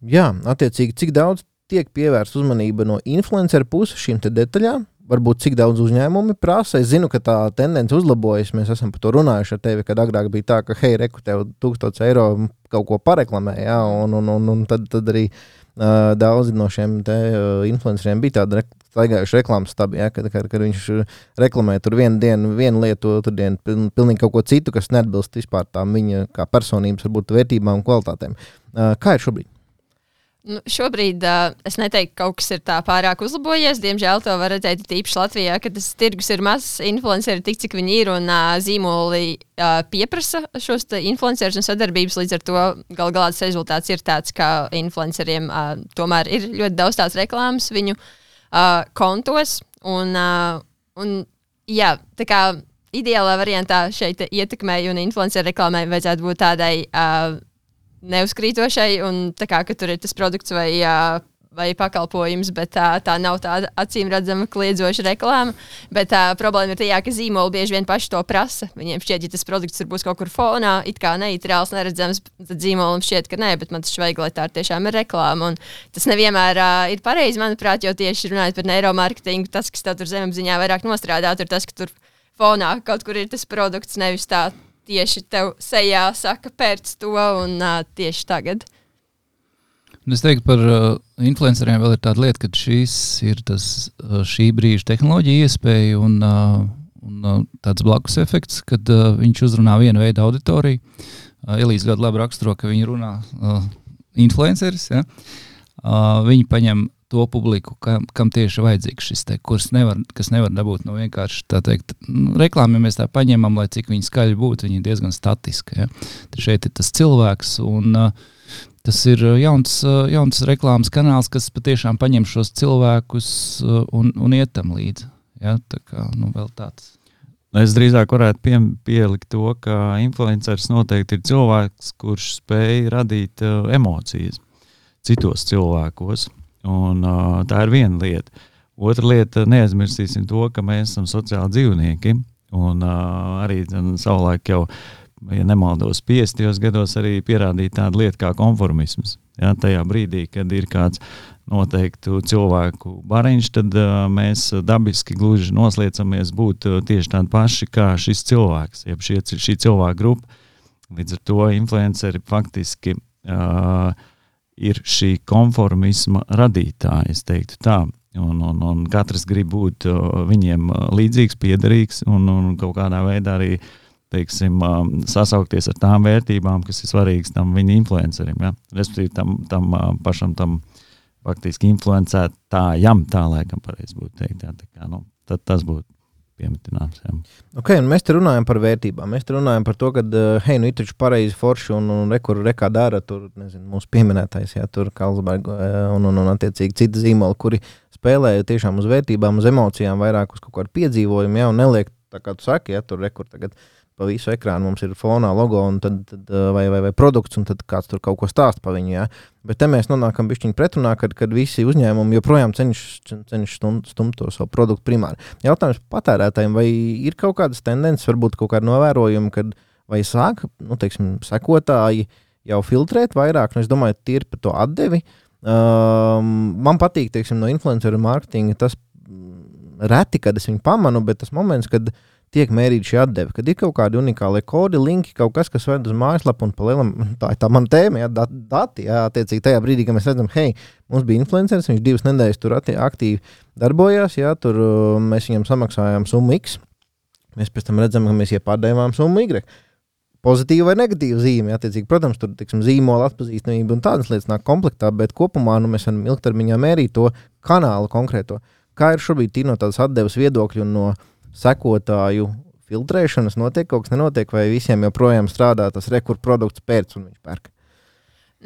jā, attiecīgi, cik daudz tiek pievērsta uzmanība no influenceru puses šīm te detaļām, varbūt cik daudz uzņēmumi prasa. Es zinu, ka tā tendence uzlabojas. Mēs esam par to runājuši ar tevi, kad agrāk bija tā, ka hei, reku tev tūkstots eiro kaut ko pareklamē, ja, un, un, un, un tad, tad arī uh, daudzi no šiem te uh, influenceriem bija tāda re- staigājuši reklāmas stabi, ja, kad, kad, kad viņš reklamē tur vienu dienu, vienu lietu, otru dienu piln, pilnīgi kaut ko citu, kas neatbilst vispār tām viņa kā personības, varbūt vērtībām un kvalitātēm. Uh, kā ir šobrīd? Nu, šobrīd uh, es neteiktu, ka kaut kas ir tā pārāk uzlabojies. Diemžēl to var redzēt tīpaši Latvijā, ka tas tirgus ir mazs, influenceri tik, cik viņi ir, un uh, zīmoli uh, pieprasa šos influencerus un sadarbības. Līdz ar to gal galā tas rezultāts ir tāds, ka influenceriem uh, tomēr ir ļoti daudz tās reklāmas viņu uh, kontos. Un, uh, un, jā, tā kā ideālā variantā šeit ietekmei un influenceru reklāmai vajadzētu būt tādai uh, neuzkrītošai, un tā kā, ka tur ir tas produkts vai, vai pakalpojums, bet tā, tā nav tāda acīm redzama kliedzoša reklāma. Bet tā problēma ir tajā, ka zīmoli bieži vien paši to prasa. Viņiem šķiet, ja tas produkts tur būs kaut kur fonā, it kā neitrāls, neredzams, tad zīmolim šķiet, ka nē, bet man tas vajag, lai tā tiešām ir reklāma. Un tas nevienmēr uh, ir pareizi, manuprāt, jo tieši runājot par neiromarketingu, tas, kas tev tur zemapziņā vairāk nostrādāt, ir tas, ka tur fonā kaut kur ir tas produkts, nevis tā tieši tev sejā saka pērc to un uh, tieši tagad. Es teiktu, par uh, influenceriem vēl ir tāda lieta, ka šīs ir tas uh, šī brīža tehnoloģija iespēja un, uh, un uh, tāds blakus efekts, kad uh, viņš uzrunā vienu veidu auditoriju. Uh, Elīze ļoti labi raksturo, ka viņi runā uh, influenceris. Ja? Uh, viņi paņem to publiku, kam, kam tieši vajadzīgs šis te kurs, nevar, kas nevar dabūt no vienkārši, tā teikt, nu, reklāmi, ja mēs tā paņemam, lai cik viņi skaļi būtu, viņi ir diezgan statiski. Ja? Tad šeit ir tas cilvēks, un uh, tas ir jauns, uh, jauns reklāmas kanāls, kas patiešām paņem šos cilvēkus uh, un, un iet tam līdzi. Ja? Tā kā, nu, vēl tāds. Es drīzāk varētu pie, pielikt to, ka influenceris noteikti ir cilvēks, kurš spēj radīt uh, emocijas citos cilvēkos, un uh, tā ir viena lieta. Otra lieta, neaizmirsīsim to, ka mēs esam sociāli dzīvnieki, un uh, arī savulaik jau, ja nemaldos piestajos gados, arī pierādīt tādu lietu kā konformisms. Ja, tajā brīdī, kad ir kāds noteiktu cilvēku bariņš, tad uh, mēs dabiski gluži nosliecamies būt uh, tieši tādi paši kā šis cilvēks, jeb šie, šī cilvēka grupa. Līdz ar to influenceri faktiski uh, ir šī konformisma radītāja, es teiktu tā. Un, un, un katrs grib būt uh, viņiem līdzīgs, piederīgs un, un kaut kādā veidā arī teiksim, um, sasaukties ar tām vērtībām, kas ir svarīgas tam viņa influencerim. Ja? Respektīvi tam, tam uh, pašam tam faktiski influencētājam, tā laikam pareizi būtu teikt. Jā, tā kā, nu, tad tas būtu piemetināms. Jā. Ok, un mēs te runājam par vērtībām. Mēs te runājam par to, ka, hei, nu, ir taču pareizi forši un, un rekur, rekā dara tur, nezinu, mūsu pieminētais, jā, tur Carlsberg un, un, un attiecīgi citi zīmoli, kuri spēlē tiešām uz vērtībām, uz emocijām, vairāk uz kaut kādu piedzīvojumu, jā, un neliek, tā kā tu saki, jā, tur rekur tagad pa visu ekrānu mums ir fonā logo un tad, tad vai, vai, vai produkts, un tad kāds tur kaut ko stāst pa viņu, jā. Bet te mēs nonākam bišķiņ pretrunā, kad, kad visi uzņēmumi joprojām cenšas cenš stumt, stumt to savu produktu primāri. Jautājums patērētājiem, vai ir kaut kādas tendences, varbūt kaut kāda novērojuma, kad vai sāk, nu, teiksim, sekotāji jau filtrēt vairāk, nu, es domāju, tie ir par to atdevi. Um, man patīk, teiksim, no influenceru mārketinga tas reti, kad es viņu pamanu, bet tas moments, kad tiek mērīta šī atdeve, kad ir kaut kādi unikāli kodi, linki, kaut kas, kas ved uz mājaslapu un pa lielam, tā ir tā mana tēma, jā, dati, jā, attiecīgi tajā brīdī, kad mēs redzam, hei, mums bija influenceris, viņš divas nedēļas tur aktīvi darbojās, jā, tur mēs viņam samaksājām summu X, mēs pēc tam redzam, ka mēs iepārdējām summu Y. Pozitīva vai negatīva zīme, attiecīgi, protams, tur, tiksim, zīmola atpazīstamība un tādas lietas nāk komplektā, bet kopumā, nu, mēs varam ilgtermiņā mērīt to kanālu konkrēto. Kā ir šobrīd no tādas atdeves viedokļu un no sekotāju filtrēšanas notiek kaut kas nenotiek, vai visiem joprojām strādā tas rekur produkts pēc un viņš pērk?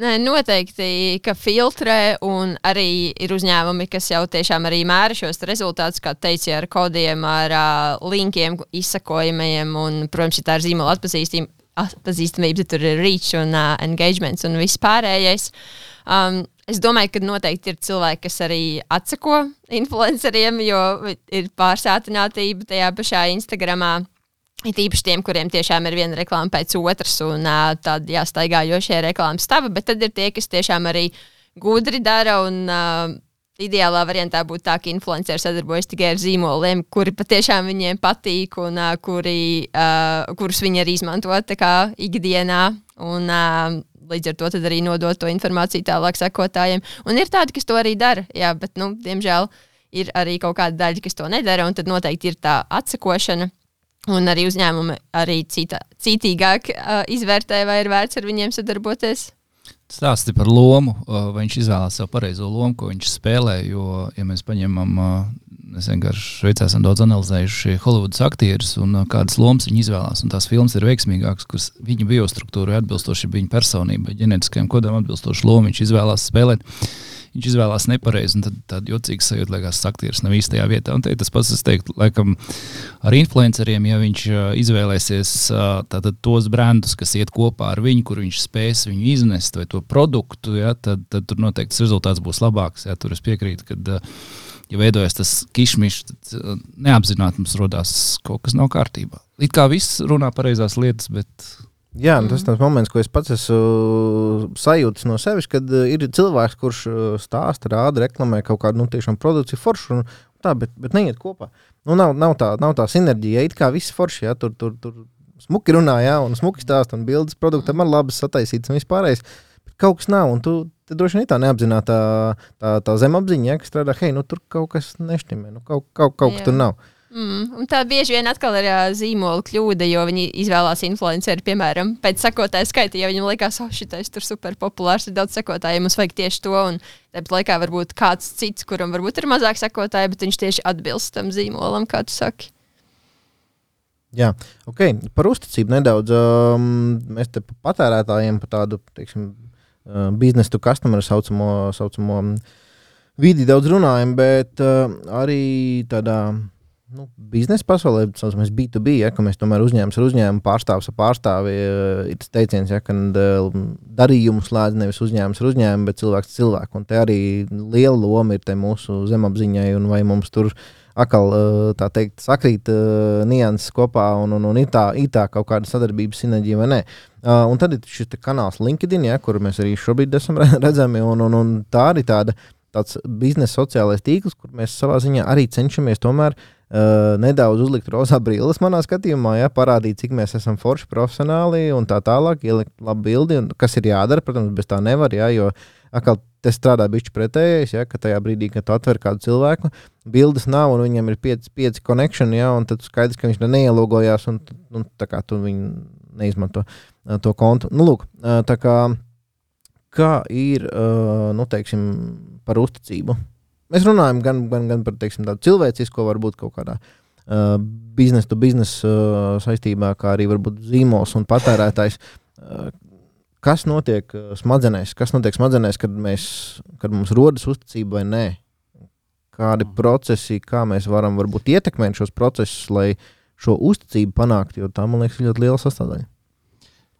Nē, noteikti, ka filtrē un arī ir uzņēmumi, kas jau tiešām arī mēra šos rezultātus, kā teici, ar kodiem, ar uh, linkiem, izsakojumiem un, protams, ja tā ir zīmola atpazīstamība, atpazīstamība, tur ir reach un uh, engagements un viss pārējais. Um, es domāju, ka noteikti ir cilvēki, kas arī atsako influenceriem, jo ir pārsātinātība tajā pašā Instagramā. Ir īpaši tiem, kuriem tiešām ir viena reklāma pēc otras un uh, tādi jāstaigājošie reklāmas stava, bet tad ir tie, kas tiešām arī gudri dara un uh, ideālā variantā būtu tā, ka influenceri sadarbojas tikai ar zīmoliem, kuri patiešām viņiem patīk un uh, kuri, uh, kurus viņi arī izmanto tā kā ikdienā un uh, līdz ar to tad arī nodot to informāciju tālāk sekotājiem. Un ir tādi, kas to arī dara, jā, bet, nu, diemžēl ir arī kaut kāda daļa, kas to nedara, un tad noteikti ir tā atsakošana. Un arī uzņēmumi arī cita, citīgāk uh, izvērtē, vai ir vērts ar viņiem sadarboties. Stāsti par lomu, vai viņš izvēlās savu pareizo lomu, ko viņš spēlē, jo, ja mēs paņemam, mēs vienkārši Šveicē esam daudz analizējuši Holivudas aktierus un kādas lomas viņi izvēlās, un tās filmas ir veiksmīgākas, kuras viņa biostruktūrai atbilstoši viņa personībai, ģenētiskajam kodam atbilstoši lomu viņš izvēlās spēlēt. Viņš izvēlās nepareizi, un tad tāda jocīga sajūta, liekas, aktieris nav īstajā vietā. Un te tas pats, es teiktu, laikam, ar influenceriem, ja viņš izvēlēsies tātad tos brandus, kas iet kopā ar viņu, kur viņš spēs viņu iznest, vai to produktu, ja, tad, tad tur noteikti tas rezultāts būs labāks. Ja, tur es piekrītu, kad, ja veidojas tas kišmišs, tad neapzināti mums rodās kaut kas nav kārtībā. It kā viss runā pareizās lietas, bet... Jā, tas ir tas moments, ko es pats esmu sajūtis no sevis, kad ir cilvēks, kurš stāsta, rāda, reklamē kaut kādu, nu, tiešām produkciju foršu, un tā, bet, bet neiet kopā. Nu, nav, nav, tā, nav tā sinerģija, it kā viss forši, jā, tur, tur, tur smuki runā, jā, un smuki stāst, un bildes produktam ir labas sataisītas un vispārējais, bet kaut kas nav, un tu, te droši vien tā neapzinātā tā, tā zemapziņa, ja, kas strādā, hei, nu, tur kaut kas neštimē, nu, kaut, kaut, kaut kas tur nav. Mm, un tā bieži vien atkal ir uh, zīmola kļūda, jo viņi izvēlās influenceri, piemēram, pēc sekotāju skaita, ja viņam likās, oh, šitais tur super populārs, ir daudz sekotāju, mums vajag tieši to, un tāpat laikā varbūt kāds cits, kuram varbūt ir mazāk sekotāji, bet viņš tieši atbilst tam zīmolam, kā tu saki. Jā, ok, par uzticību nedaudz. Um, mēs te par patērētājiem par tādu, teiksim, uh, business to customer saucamo, saucamo vidi daudz runājam, bet uh, arī tādā nu, biznesa pasaulē, saucamies B to B, ja, ka mēs tomēr uzņēmums ar uzņēmumu, pārstāvs ar pārstāvi, ir tas teiciens, ja, ka darījumu slēdz nevis uzņēmums ar uzņēmumu, bet cilvēks cilvēku. Un te arī liela loma ir te mūsu zemapziņai, un vai mums tur atkal, tā teikt, sakrīt uh, nianses kopā, un, un, un ir tā, ir tā kaut kāda sadarbības sinerģija vai nē. Uh, un tad ir šis kanāls LinkedIn, ja, kur mēs arī šobrīd esam redzami, un, un, un tā arī tāda, tāds biznesa sociālais tīkls, kur mēs savā ziņā arī cenšamies tomēr Uh, nedaudz uzlikt rozā brilles manā skatījumā, ja, parādīt, cik mēs esam forši profesionāli un tā tālāk, ielikt labu bildi, un kas ir jādara, protams, bez tā nevar, ja, jo atkal te strādā bišķi pretējais, ja, ka tajā brīdī, kad tu atver kādu cilvēku, bildes nav un viņam ir pieci, pieci connection, ja, un tad skaidrs, ka viņš neielogojās un, un tā kā tu viņu neizmanto uh, to kontu. Nu, lūk, uh, tā kā, kā ir, uh, nu, teiksim, par uzticību? Mēs runājam gan, gan, gan par teiksim, tādu cilvēcisko, varbūt kaut kādā uh, biznesa to biznesa uh, saistībā, kā arī varbūt zīmols un patērētājs. Uh, kas notiek uh, smadzenēs? Kas notiek smadzenēs, kad, mēs, kad mums rodas uzticība vai nē? Kādi procesi, kā mēs varam varbūt ietekmēt šos procesus, lai šo uzticību panākt, jo tā, man liekas, ir ļoti liela sastāvdaļa.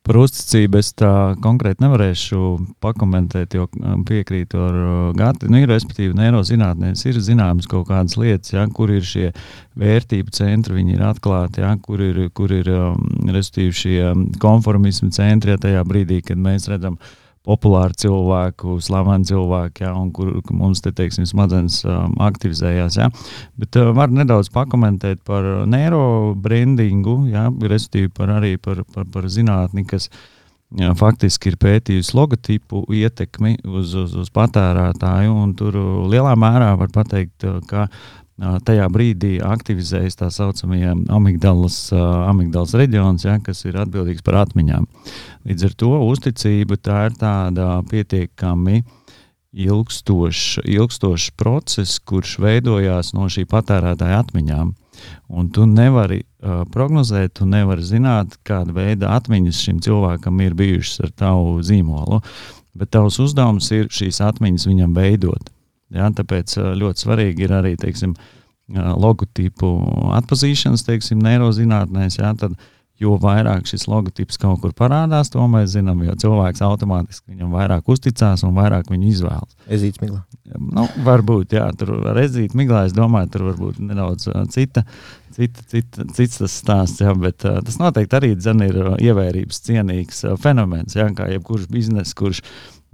Par uzticību es tā konkrēti nevarēšu pakomentēt, jo piekrītu ar Gati. Nu, ir, respektīvi, neirozinātnēs ir zināmas kaut kādas lietas, ja, kur ir šie vērtību centri, viņi ir atklāti, ja, kur ir, kur ir respektīvi, šie konformismu centri, ja, tajā brīdī, kad mēs redzam populāru cilvēku, slavenu cilvēku, ja, un kur mums te, teiksim, smadzenes um, aktivizējās. Ja. Bet uh, var nedaudz pakomentēt par neirobrandingu, ja, respektīvi par arī par, par, par zinātni, kas ja, faktiski ir pētījusi logotipu ietekmi uz, uz, uz patērētāju, un tur lielā mērā var pateikt, ka tajā brīdī aktivizējas tā saucamie amigdalas, amigdalas reģions, ja, kas ir atbildīgs par atmiņām. Līdz ar to uzticība tā ir tāda pietiekami ilgstošs, ilgstošs process, kurš veidojās no šī patērētāja atmiņām. Un tu nevari uh, prognozēt, tu nevari zināt, kāda veida atmiņas šim cilvēkam ir bijušas ar tavu zīmolu, bet tavs uzdevums ir šīs atmiņas viņam veidot. Ja, tāpēc ļoti svarīgi ir arī, teiksim, logotipu atpazīšanas, teiksim, neirozinātnēs, ja, tad jo vairāk šis logotips kaut kur parādās, to mēs zinām, jo cilvēks automātiski viņam vairāk uzticās un vairāk viņu izvēlas. Ezīts miglā. Nu, varbūt, jā, tur ar ezīt miglā, es domāju, tur varbūt nedaudz cita, cita, cita, cits tas stāsts, jā, bet uh, tas noteikti arī dzen ir ievērības cienīgs uh, fenomens, jā, kā jebkurš biznes, kurš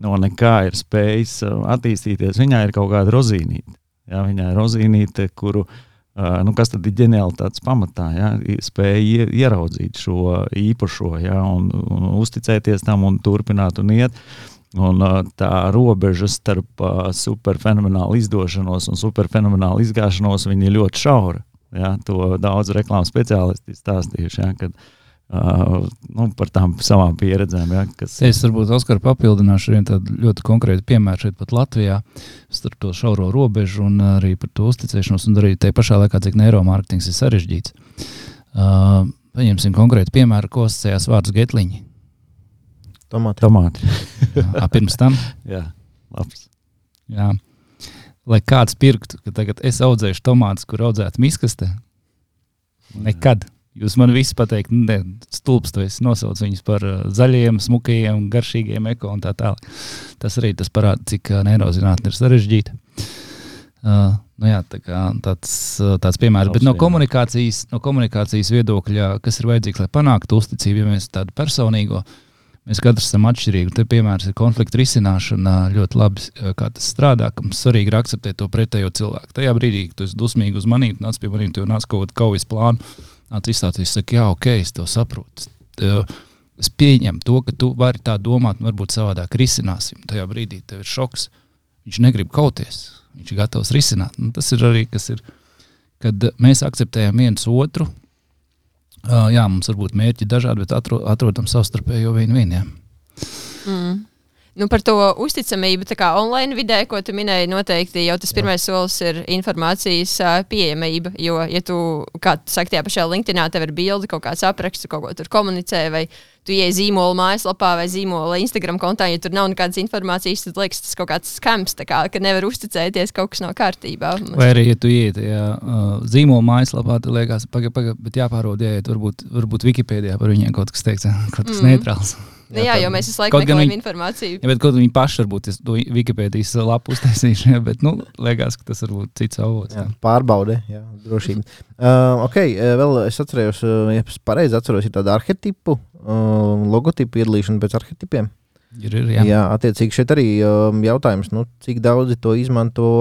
no nekā ir spējis attīstīties, viņā ir kaut kāda rozīnīte. Ja, viņā ir rozīnīte, kuru, uh, nu, kas tad ir ģenialitātes pamatā, ja, spēja ieraudzīt šo īpašo, ja, un, un uzticēties tam un turpināt un iet. Un uh, tā robeža starp uh, superfenomenālu izdošanos un superfenomenālu izgāšanos, viņa ir ļoti šaura. Ja, to daudz reklāmas speciālisti stāstījuši, ja, kad Uh, nu, par tām savām pieredzēm. Ja, kas... Es varbūt, Oskar, papildināšu vienu tādu ļoti konkrētu piemēru šeit pat Latvijā starp to šauro robežu un arī par to uzticēšanos un arī tajā pašā laikā, cik neiromārketings ir sarežģīts. Uh, paņemsim konkrētu piemēru, ko asociējās vārds getliņi. Tomāti. Tomāti. Jā, pirms tam? Jā, labs. Jā. Lai kāds pirktu, ka tagad es audzēšu tomātus, kur audzētu miskaste, nekad. Jūs man visi pateikt, ne, stulbs, tu esi nosauc viņus par uh, zaļiem, smukajiem, garšīgiem eko un tā tālāk. Tas arī tas parāda, cik uh, neirozinātne ir sarežģīta. Uh, nu jā, tā kā tāds, uh, tāds piemērs. Bet no komunikācijas, no komunikācijas viedokļa, kas ir vajadzīgs, lai panāktu uzticību, ja mēs tādu personīgo, mēs katrs esam atšķirīgi. Te piemērs ir konflikta risināšana ļoti labi, kā tas strādā, ka mums svarīgi ir akceptēt to pretējo cilvēku. Tajā brīdī, kad tu esi dusmīgi uz manīm, nāc pie manīm, tu nāc kaut kādu kaujas plānu, nāc izstāties, saka, jā, ok, es to saprotu. Es pieņemu to, ka tu vari tā domāt, un varbūt savādāk risināsim. Tajā brīdī tev ir šoks. Viņš negrib kauties, viņš ir gatavs risināt. Un tas ir arī, kas ir, kad mēs akceptējam viens otru. Uh, jā, mums varbūt mērķi dažādi, bet atro, atrodam savstarpējo vien-vien, jā. Mm. Nu, par to uzticamību, tā kā online vidē, ko tu minēji, noteikti jau tas pirmais solis ir informācijas uh, pieejamība, jo, ja tu, kā tu saki, tajā pašā LinkedInā tev ir bildi, kaut kāds apraksts, kaut ko tur komunicē, vai tu ieej zīmola mājaslapā vai zīmola Instagram kontā, ja tur nav nekādas informācijas, tad liekas tas kaut kāds skams, tā kā, ka nevar uzticēties, kaut kas nav kārtībā. Vai arī, ja tu iet tajā uh, zīmola mājaslapā, tad liekas, paga, paga, bet jāpārod, jāiet, varbūt, varbūt Wikipēdijā par viņiem kaut kas teikts, kaut kas mm. neitrāls. Jā, jā, jo mēs visu laiku meklējam informāciju. Jā, bet kaut viņi paši varbūt to Wikipēdijas lapu uztaisīšu, jā, bet, nu, liekas, ka tas varbūt cits avots. Jā, pārbaude, jā, drošība. Uh, ok, vēl es atcerējos, ja es pareizi atceros, ir tāda arhetipu, uh, logotipu iedalīšana pēc arhetipiem. Ir, ir, jā. Jā, attiecīgi šeit arī um, jautājums, nu, cik daudzi to izmanto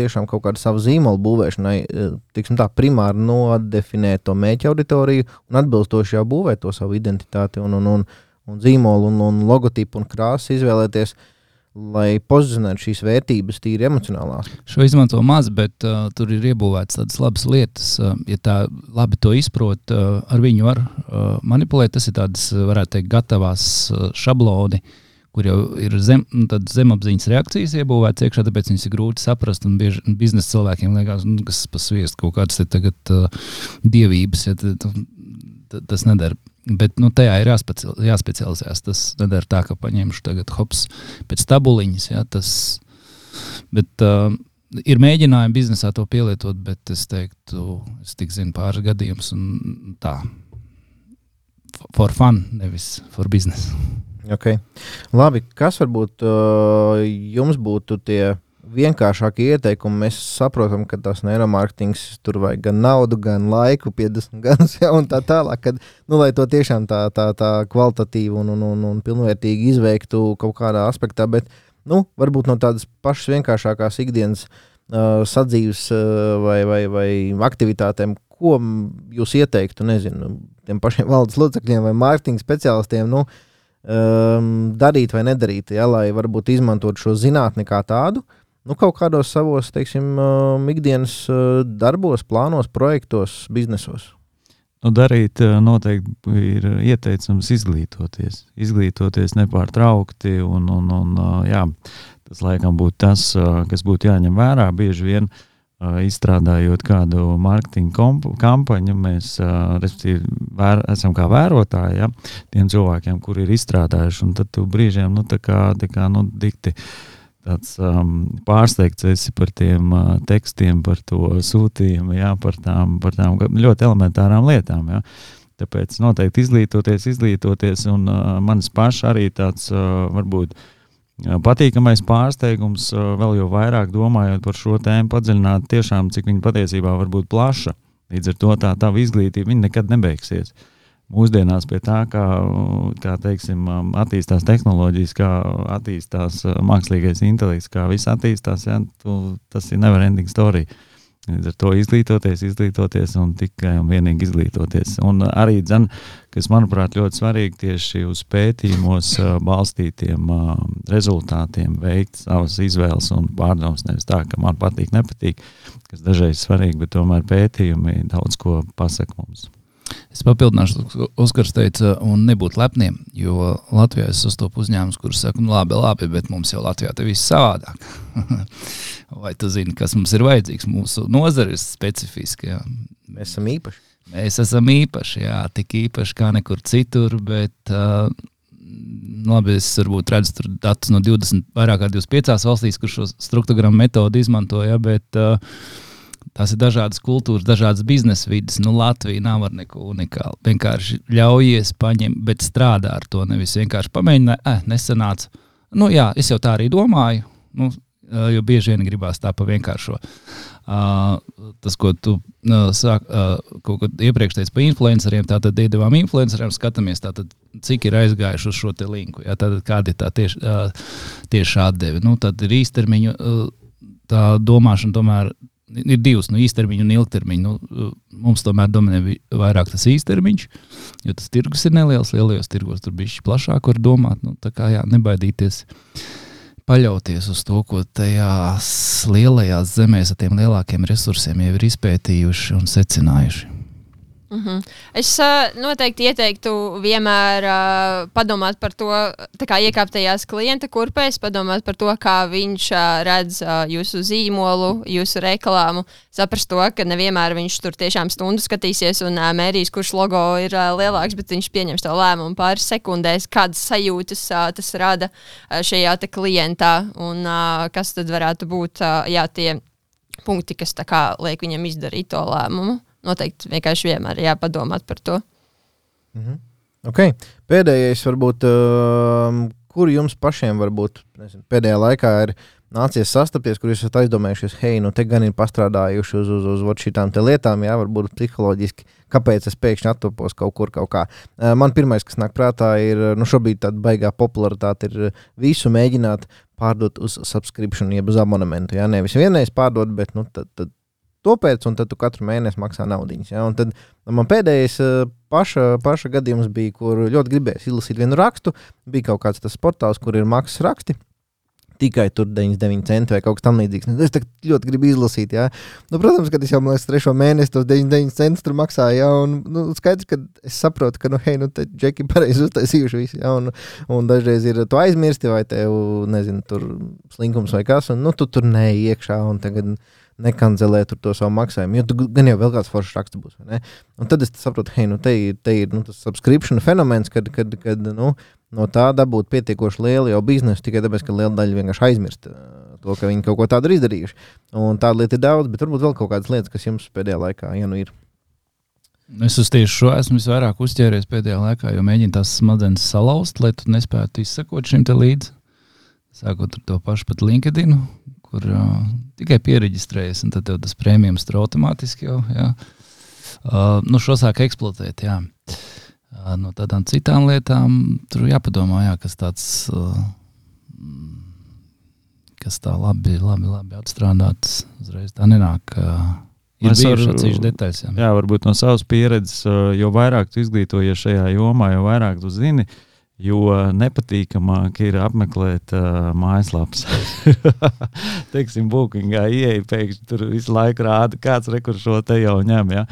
tiešām kaut kādu savu zīmolu būvēšanai, tiksim tā, primāri nodefinēt to mēķa auditoriju un atbilstoši jau būvēt to savu identitāti un, un, un un zīmolu un, un logotipu un krāsu izvēlēties, lai pozicionētu šīs vērtības tīri emocionālās. Šo izmanto maz, bet uh, tur ir iebūvēts tādas labas lietas. Uh, ja tā labi to izprot, uh, ar viņu var uh, manipulēt. Tas ir tādas, varētu teikt, gatavās uh, šabloni, kur jau ir zem, zemapziņas reakcijas iebūvēts iekšā, tāpēc viņas ir grūti saprast, un bieži biznesa cilvēkiem liekas, nu, kas pasviest kaut kādas te tagad uh, dievības, ja t, t, t, tas nedara. Bet nu, tajā ir jāspeci, jāspecializēs. Tas nedara tā, ka paņemšu tagad hops pēc tabuliņas. Ja, tas, bet uh, ir mēģinājumi biznesā to pielietot, bet es teiktu, es tik zinu pāris gadījumus un tā. For fun, nevis for business. Okay. Labi, kas varbūt uh, jums būtu tie vienkāršākie ieteikumi? Mēs saprotam, ka tas neiromārketings tur vajag gan naudu, gan laiku, piecdesmit gadus, ja, un tā tālāk, kad, nu, lai to tiešām tā, tā, tā kvalitatīvi un, un, un, un pilnvērtīgi izveiktu kaut kādā aspektā, bet, nu, varbūt no tādas pašas vienkāršākās ikdienas uh, sadzīves uh, vai, vai, vai aktivitātēm, ko jūs ieteiktu, nezinu, tiem pašiem valdes locekļiem vai mārketinga speciālistiem, nu, um, darīt vai nedarīt, ja, lai varbūt izmantot šo zinātni kā tādu, nu, kaut kādos savos, teiksim, uh, ikdienas uh, darbos, plānos, projektos, biznesos? Nu, darīt uh, noteikti ir ieteicams izglītoties. Izglītoties nepārtraukti, un, un, un uh, jā, tas laikam būtu tas, uh, kas būtu jāņem vērā. Bieži vien uh, izstrādājot kādu mārketinga komp- kampaņu, mēs uh, respektīvi vēr, esam kā vērotāji, ja, tiem cilvēkiem, kuri ir izstrādājuši, un tad tu brīžiem, nu, tā kā, tā kā, nu, dikti tāds um, pārsteigts esi par tiem uh, tekstiem, par to sūtījumu, jā, par tām, par tām ļoti elementārām lietām, jā. Tāpēc noteikti izglītoties, izglītoties, un uh, manis paši arī tāds uh, varbūt uh, patīkamais pārsteigums, uh, vēl jau vairāk domājot par šo tēmu, padziļināt tiešām, cik viņa patiesībā var būt plaša. Līdz ar to tā tava izglītība, viņa nekad nebeigsies. Mūsdienās pie tā, kā, kā teiksim, attīstās tehnoloģijas, kā attīstās mākslīgais intelekts, kā viss attīstās, ja, tu, tas ir never ending story. Līdz ar to izglītoties, izglītoties un tikai un vienīgi izglītoties. Un arī, dzen, kas manuprāt ļoti svarīgi, tieši uz pētījumos balstītiem rezultātiem veikt savas izvēles un pārdomas, nevis tā, ka man patīk, nepatīk, kas dažreiz svarīgi, bet tomēr pētījumi daudz ko pasaka mums. Es papildināšu, Oskars teica, un nebūt lepniem, jo Latvijā es sastopu uzņēmumus, kurus saka, nu labi, labi, bet mums jau Latvijā te viss savādāk. Vai tu zini, kas mums ir vajadzīgs? Mūsu nozara ir specifiska. Jā. Mēs esam īpaši. Mēs esam īpaši, jā, tik īpaši kā nekur citur, bet uh, labi, es varbūt redzu tur datus no divdesmit, vairāk kā divdesmit piecās valstīs, kur šo struktogramu metodu izmanto, jā, bet uh, tās ir dažādas kultūras, dažādas biznesa vidas. Nu, Latvija nav ar neko unikālu. Vienkārši ļaujies paņemt, bet strādā ar to. Nevis vienkārši pamēģināt, eh, nesanāca. Nu jā, es jau tā arī domāju, nu, jo bieži vien gribās tā pa vienkāršo. Uh, tas, ko tu uh, sāk, uh, kaut ko iepriekš teici pa influenceriem, tātad iedevām influenceriem, skatāmies, tātad, cik ir aizgājuši uz šo te linku. Jā, tātad kāda ir tā tieši, uh, tieši atdeve. Nu, tad ir īstermiņu uh, tā domāšana tomēr ir divas, nu, īstermiņu un ilgtermiņu. Nu, mums tomēr dominē vairāk tas īstermiņš, jo tas tirgus ir neliels, lielajos tirgos tur bišķi plašāk var domāt, nu, tā kā jā, nebaidīties paļauties uz to, ko tajās lielajās zemēs ar tiem lielākiem resursiem jau ir izpētījuši un secinājuši. Mm-hmm. Es uh, noteikti ieteiktu vienmēr uh, padomāt par to, tā kā iekāpt tajās klienta kurpēs, padomāt par to, kā viņš uh, redz uh, jūsu zīmolu, jūsu reklāmu, saprast to, ka nevienmēr viņš tur tiešām stundu skatīsies un uh, mērīs, kurš logo ir uh, lielāks, bet viņš pieņems to lēmumu pāris sekundēs, kādas sajūtas uh, tas rada uh, šajā te klientā un uh, kas tad varētu būt uh, jā, tie punkti, kas tā kā liek viņam izdarīt to lēmumu. Noteikti vienkārši vienmēr jāpadomāt par to. Mhm. Okay. Pēdējais varbūt, uh, kur jums pašiem varbūt nezinu, pēdējā laikā ir nācies sastapties, kur jūs esat aizdomējušies, hei, nu te gan ir pastrādājuši uz, uz, uz, uz šitām te lietām, jā, varbūt psiholoģiski, kāpēc es pēkšņi attopos kaut kur kaut kā. Uh, man pirmais, kas nāk prātā, ir, nu šobrīd tāda baigā popularitāte ir visu mēģināt pārdot uz subscription, jeb uz abonementu, jā, nevis vienreiz pārdot, bet, nu, tad, tad to pēc, un tad tu katru mēnesi maksā naudiņas. Ja? Un tad man pēdējais paša, paša gadījums bija, kur ļoti gribēs izlasīt vienu rakstu, bija kaut kāds tas portāls, kur ir maksas raksti, tikai tur deviņdesmit deviņi centi vai kaut kas tam līdzīgs. Es tā ļoti gribu izlasīt, ja? Nu, protams, kad es jau, man liekas, trešo mēnesi tos deviņdesmit deviņi centus tur maksāju, ja? Un nu, skaidrs, ka es saprotu, ka, nu, hei, nu, te džeki pareizi uztaisījuši visu, ja? Un, un dažreiz ir tu aizmirsti vai tev, nezinu, tur slinkums vai kas, un, nu, tu tur neej iekšā, un tagad nekanzelē tur to savu maksājumu, jo tu gan jau vēl kāds foršs raksts būs, vai ne? Un tad es saprotu, hei, nu te, te ir nu, tas subscription fenomens, kad, kad, kad nu, no tā dabūt pietiekoši lielu jau biznesu, tikai tāpēc, ka liela daļa vienkārši aizmirst to, ka viņi kaut ko tādu ir izdarījuši. Un tāda lieta ir daudz, bet varbūt vēl kaut kādas lietas, kas jums pēdējā laikā, ja nu ir. Es uz tieši šo esmu visvairāk uzķēries pēdējā laikā, jo mēģinu tās smadzenes salauzt, lai tu nespētu izsekot šim te līdzi. Sākot ar to pašu pat LinkedInu, kur uh, tikai piereģistrējas, un tad tev tas prēmijums tur automātiski jau, jā. Uh, nu, šo sāk eksploatēt, jā. Uh, no tādām citām lietām tur jāpadomā, jā, kas tāds, uh, kas tā labi, labi, labi atstrādāts, uzreiz tā nenāk, uh, ir bijuši atsevišķi detaļas, jā. Jā, varbūt no savas pieredzes, uh, jo vairāk tu izglītojies šajā jomā, jo vairāk tu zini, jo nepatīkamāk ir apmeklēt uh, mājaslapas. Teiksim, bookingā ieeja, pēkšņi tur visu laiku rāda, kāds rekurs šo te jau ņem, ja?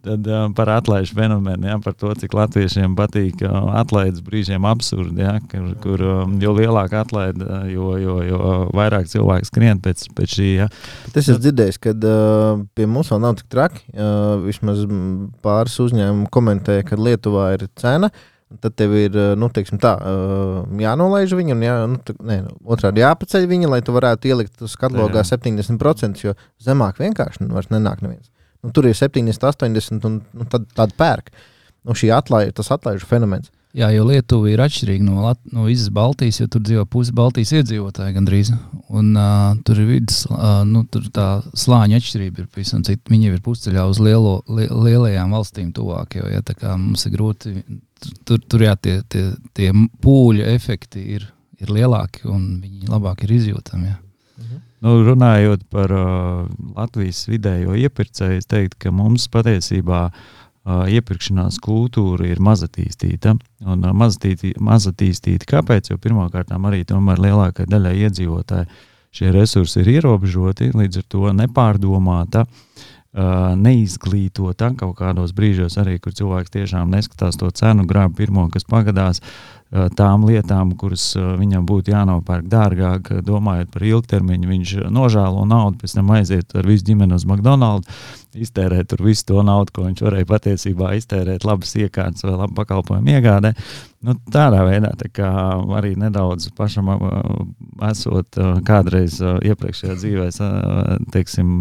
Tad uh, par atlaižu fenomenu, ja? Par to, cik latviešiem patīk uh, atlaides brīžiem absurdi, ja? Kur, kur um, jo lielāk atlaida, jo, jo, jo vairāk cilvēku skrien pēc, pēc šī. Ja? Es esmu dzirdējis, ka uh, pie mums vēl nav tik traki. Uh, vismaz pāris uzņēmumu komentēja, ka Lietuvā ir cena, tad tev ir, nu, teiksim tā, jānolaiž viņu, un jā, nu, tā, ne, otrādi jāpaceļ viņa, lai tu varētu ielikt uz katalogā septiņdesmit procenti, jo zemāk vienkārši vairs nenāk neviens. Nu, tur ir septiņdesmit, astoņdesmit, un nu, tad tāda pērk. Nu, šī atlaiž, tas atlaižu fenomens. Jā, jo Lietuva ir atšķirīga no, Lat- no visas Baltijas, jo tur dzīvo pusi Baltijas iedzīvotāji gandrīz. Un uh, tur ir vidas, uh, nu, tur tā slāņa atšķirība ir pavisam cita. Viņi ir pusceļā uz lielo, li, lielajām valstīm tuvāk, jo, ja, tā kā mums ir grūti, tur, tur jā, tie, tie, tie pūļu efekti ir, ir lielāki un viņi labāk ir izjūtami, jā. Mhm. Nu, runājot par uh, Latvijas vidējo iepirkēju, es teiktu, ka mums patiesībā Uh, iepirkšanās kultūra ir mazatīstīta. Un uh, mazatīti, mazatīstīta kāpēc? Jo pirmkārtām arī tomēr lielākai daļai iedzīvotāji šie resursi ir ierobežoti, līdz ar to nepārdomāta, uh, neizglītota kaut kādos brīžos arī, kur cilvēks tiešām neskatās to cenu, grāb pirmo, kas pagadās, uh, tām lietām, kuras uh, viņam būtu jānopērk dārgāk, domājot par ilgtermiņu, viņš nožēlo naudu, pēc tam aiziet ar visu ģimeni uz McDonald's, iztērēt tur visu to naudu, ko viņš varēja patiesībā iztērēt labas iekārtas vai labu pakalpojumu iegādē. Nu, tādā veidā tā kā arī nedaudz pašam uh, esot uh, kādreiz uh, iepriekšējā dzīvē, uh, teiksim,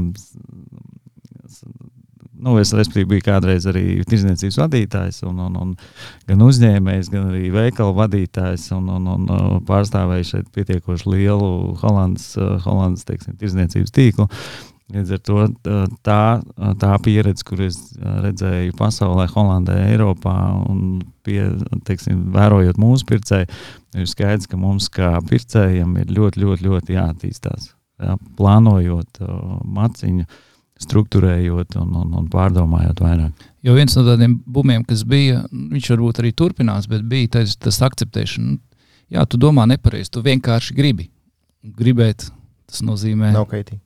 nu, es respektīvi biju kādreiz arī tirdzniecības vadītājs un, un, un gan uzņēmējs, gan arī veikalu vadītājs un, un, un pārstāvēju šeit pietiekoši lielu Holandas, Holandas teiksim, tirdzniecības tīklu. Līdz ar to tā, tā pieredze, kur es redzēju pasaulē, Holandē, Eiropā un pie, teiksim, vērojot mūsu pircēju, ir skaidrs, ka mums kā pircējiem ir ļoti, ļoti, ļoti jāattīstās. Jā, plānojot maciņu, strukturējot un, un, un pārdomājot vairāk. Jo viens no tādiem bumiem, kas bija, viņš varbūt arī turpinās, bet bija tas, tas akceptēšana. Jā, tu domā nepareizi, tu vienkārši gribi. gribēt, tas nozīmē... Nav kaitīgi.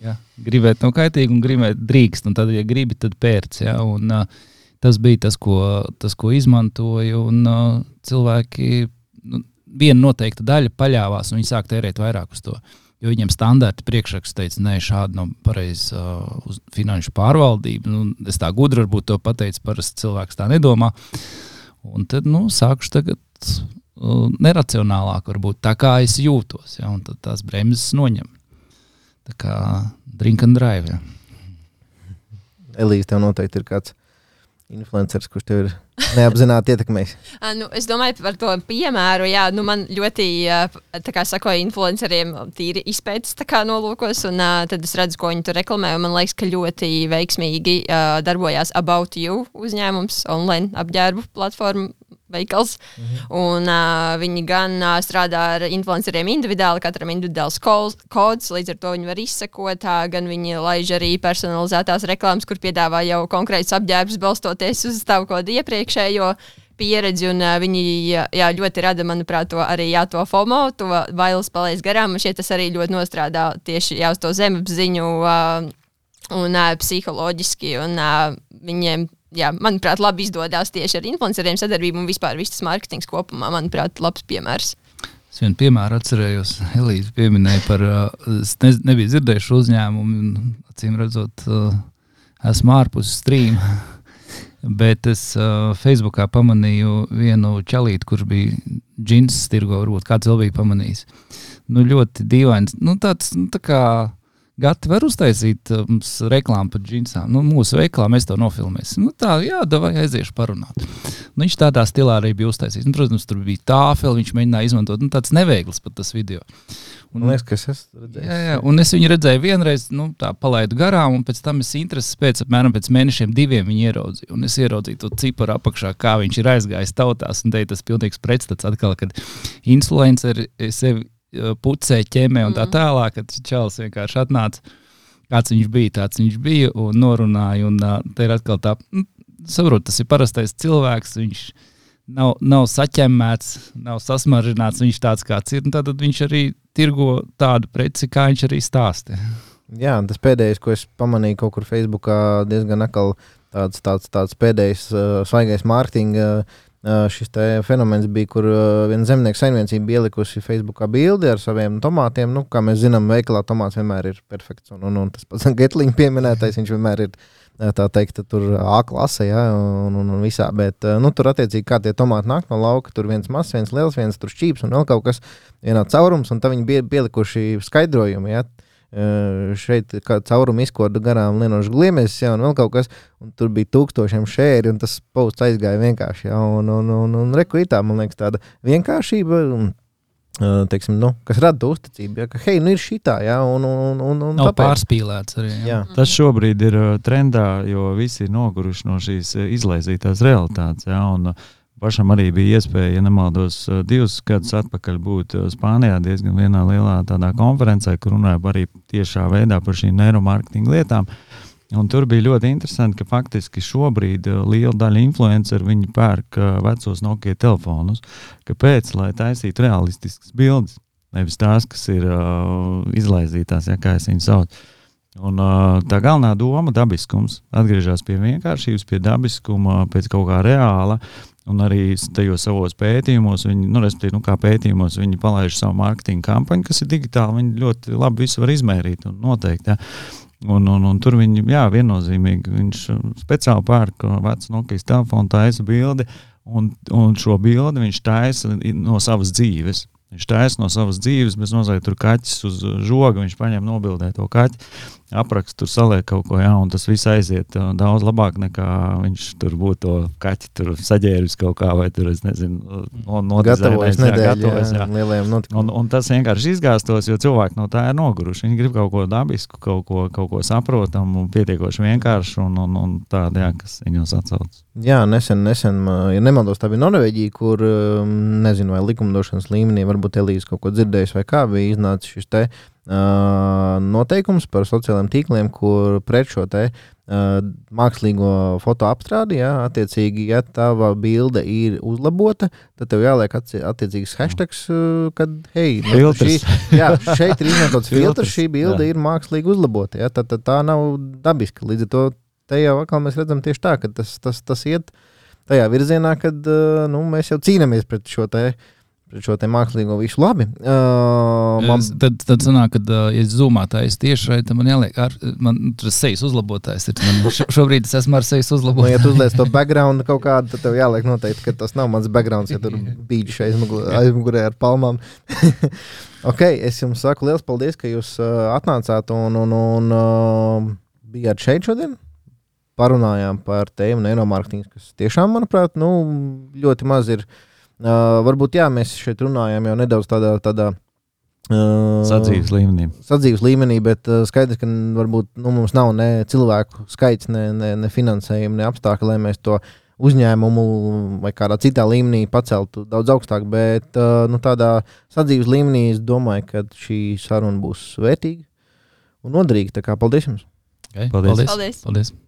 Jā, gribēt nav kaitīgi un gribēt drīkst, un tad, ja gribi, tad pērc, jā, un uh, tas bija tas, ko, tas, ko izmantoju, un uh, cilvēki, nu, viena noteikta daļa paļāvās, un viņi sāk tērēt vairāk uz to. Jo viņiem standarti priekšraksts teica, nē, šādi nav pareizi uh, uz finanšu pārvaldību. Nu, es tā gudri varbūt to pateicu, parasti cilvēks tā nedomā. Un tad, nu, sākuši tagad uh, neracionālāk varbūt tā, kā es jūtos, ja, un tad tās bremzes noņem. Tā kā drink and drive, ja. Elīze, tev noteikti ir kāds influenceris, kurš tev ir neapzināti ietekmējis. nu, es domāju par to piemēru. Jā, nu, man ļoti, tā kā sakoja influenceriem, tīri izpētes tā kā nolūkos, un uh, tad es redzu, ko viņi tur reklamē, un man liekas, ka ļoti veiksmīgi uh, darbojās About You uzņēmums, online apģērbu platforma veikals, mhm. un uh, viņi gan uh, strādā ar influenceriem individuāli, katram individuāls kods, līdz ar to viņi var izsekot, uh, gan viņi laiž arī personalizētās reklāmas, kur piedāvā jau konkrētus apģērbus balstoties uz tavu kodu iepriekšējo pieredzi, un uh, viņi jā, jā, ļoti rada, manuprāt, to arī jā, to FOMO, to bailes palaist garām, un šeit tas arī ļoti nostrādā tieši jā, uz to zemapziņu uh, un uh, psiholoģiski, un uh, viņiem jā, manuprāt, labi izdodas tieši ar influenceriem sadarbību un vispār viss tas mārketings kopumā, manuprāt, labs piemērs. Es vienu piemēru atcerējos, Elīze pieminēja par, es ne, nebiju dzirdējuši uzņēmumu, un acīm redzot, esmu ārpus stream, bet es Facebookā pamanīju vienu čalīti, kurš bija džins tirgo, varbūt kāds vēl bija pamanījis. Nu, ļoti dīvains, nu, tāds, nu, tā kā Gati var uztaisīt mums um, reklāmu par džinsām. Nu, mūsu veiklā mēs to nofilmēsim. Nu, tā, jā, davai aiziešu parunāt. Nu, viņš tādā stilā arī bija uztaisījis. Nu, protams, tur bija tāfeli, viņš mēģināja izmantot. Nu, tāds neveikls pat tas video. Un, Man liekas, ka es esmu redzējis. Jā, jā, un es viņu redzēju vienreiz, nu, tā palaidu garām, un pēc tam es intereses pēc apmēram pēc mēnešiem diviem viņu ieraudzīju. Un es ieraudzīju to ciparu apakšā, kā viņš ir aizgājis tautās. Un te tas pilnīgs pretstats atkal, kad influenceri sevi pucē, ķemē un tā tālāk, kad čalis vienkārši atnāca, kāds viņš bija, tāds viņš bija un norunāja, un uh, te ir atkal tā, nu, saprot, tas ir parastais cilvēks, viņš nav, nav saķemmēts, nav sasmaržināts, viņš tāds kāds ir, un tad viņš arī tirgo tādu preci, kā viņš arī stāsta. Jā, tas pēdējais, ko es pamanīju kaut kur Facebookā, diezgan akal tāds, tāds, tāds pēdējais uh, svaigais mārketinga uh, Uh, šis fenomens bija, kur uh, viena zemnieka saimniecība bija ielikusi Facebookā bildi ar saviem tomātiem. Nu, kā mēs zinām, veikalā tomāts vienmēr ir perfekts. Un, un, un tas pats Getliņa pieminētais, viņš vienmēr ir tā teikt, tur A klase, ja, un, un, un visā. Bet uh, nu, tur attiecīgi kā tie tomāti nāk no lauka, tur viens mazs, viens liels, viens tur šķīps un vēl kaut kas, vienā caurums, un tad viņi bija pielikuši skaidrojumi, ja. Uh, šeit kā caurumu izkoda garām lienošu gliemežs, ja, un vēl kaut kas, un tur bija tūkstošiem šēri, un tas posts aizgāja vienkārši, ja, un, un, un, un rekuitā, man liekas, tāda vienkāršība, un, uh, teiksim, nu, kas rada uzticību, ja, ka, hei, nu ir šitā, ja, un, un, un, un nav tāpēc. Pārspīlēts arī, ja. Jā. Tas šobrīd ir uh, trendā, jo visi ir noguruši no šīs uh, izlaizītās realitātes, ja, un uh, pašam arī bija iespēja, ja nemaldos, divus gadus atpakaļ būt Spānijā diezgan vienā lielā tādā konferencē, kur runāja arī tiešā veidā par šīm neiromārketinga lietām. Un tur bija ļoti interesanti, ka faktiski šobrīd liela daļa influenceru viņi pērk vecos Nokia telefonus. Kāpēc? Lai taisītu realistiskas bildes, nevis tās, kas ir uh, izlaizītās, ja kā es viņu saucu. Un uh, tā galvenā doma dabiskums atgriežas pie vienkāršības, pie dabiskuma, pēc kaut kā reāla. Un arī tajos savos pētījumos, viņi, nu, respektīvi, nu, kā pētījumos, viņi palaiž savu mārketinga kampaņu, kas ir digitāli, viņi ļoti labi visu var izmērīt un noteikt, ja. Un, un, un tur viņi, jā, viennozīmīgi, viņš speciāli pērk vecu Nokijas telefonu, taisa bildi, un, un šo bildi viņš taisa no savas dzīves. Viņš taisa no savas dzīves, bez nozīmē tur kaķis uz žoga, viņš paņem nobildē to kaķi, aprakst, tur saliek kaut ko, jā, un tas viss aiziet uh, daudz labāk nekā viņš tur būtu to kaķi tur saģēris kaut kā, vai tur, es nezinu, no, gatavojas nedēļu, gatavojas, jā, lielajiem notikumiem. Un, un tas vienkārši izgāstos, jo cilvēki no tā ir noguruši. Viņi grib kaut ko dabisku, kaut ko, kaut ko saprotam un pietiekoši vienkārši un, un, un tādu, jā, kas viņos atsauc. Jā, nesen, nesen, ja nemaldos, tā bija Norvēģija, kur, nezinu, vai likumdošanas līmenī, varbūt Elīze kaut ko dzirdējis vai kā, bija iznācis šis te uh, noteikums par sociālajiem tīkliem, kur pret šo te uh, mākslīgo fotoapstrādi, ja, attiecīgi, ja tava bilde ir uzlabota, tad tev jāliek atci- attiecīgs hashtags, uh, kad, hei, nu, šī, jā, šeit ir izmantots filtrs, šī bilde jā. ir mākslīgi uzlabota, ja, tad, tad tā nav dabiska. Līdz ar to te jau atkal mēs redzam tieši tā, ka tas, tas, tas iet tajā virzienā, kad uh, nu, mēs jau cīnāmies pret šo te šo te mākslīgo visu labi. Uh, man... Tad, tad sanāk, kad uh, ja zoomā taisu tieši šeit, tad man jāliek, ar, man tur sejas uzlabotājs ir. Man šo, šobrīd es esmu ar sejas uzlabotājs. Nu, ja tu uzliec to background kaut kādu, tad tev jāliek noteikti, ka tas nav mans backgrounds, ja tur bīģi šeit aizmugurē ar palmām. Ok, es jums saku liels paldies, ka jūs uh, atnācāt un, un, un uh, bijāt šeit šodien. Parunājām par tēmu neinomārketings, kas tiešām, manuprāt, nu, ļoti maz ir. Uh, varbūt jā, mēs šeit runājam jau nedaudz tādā, tādā uh, sadzīves līmenī. Sadzīves līmenī, bet uh, skaidrs, ka varbūt nu, mums nav ne cilvēku skaits, ne, ne, ne finansējumu, ne apstākļi, lai mēs to uzņēmumu vai kādā citā līmenī paceltu daudz augstāk, bet uh, nu, tādā sadzīves līmenī es domāju, ka šī saruna būs vērtīga un noderīga. Tā kā paldies jums! Okay, paldies! paldies. paldies. paldies.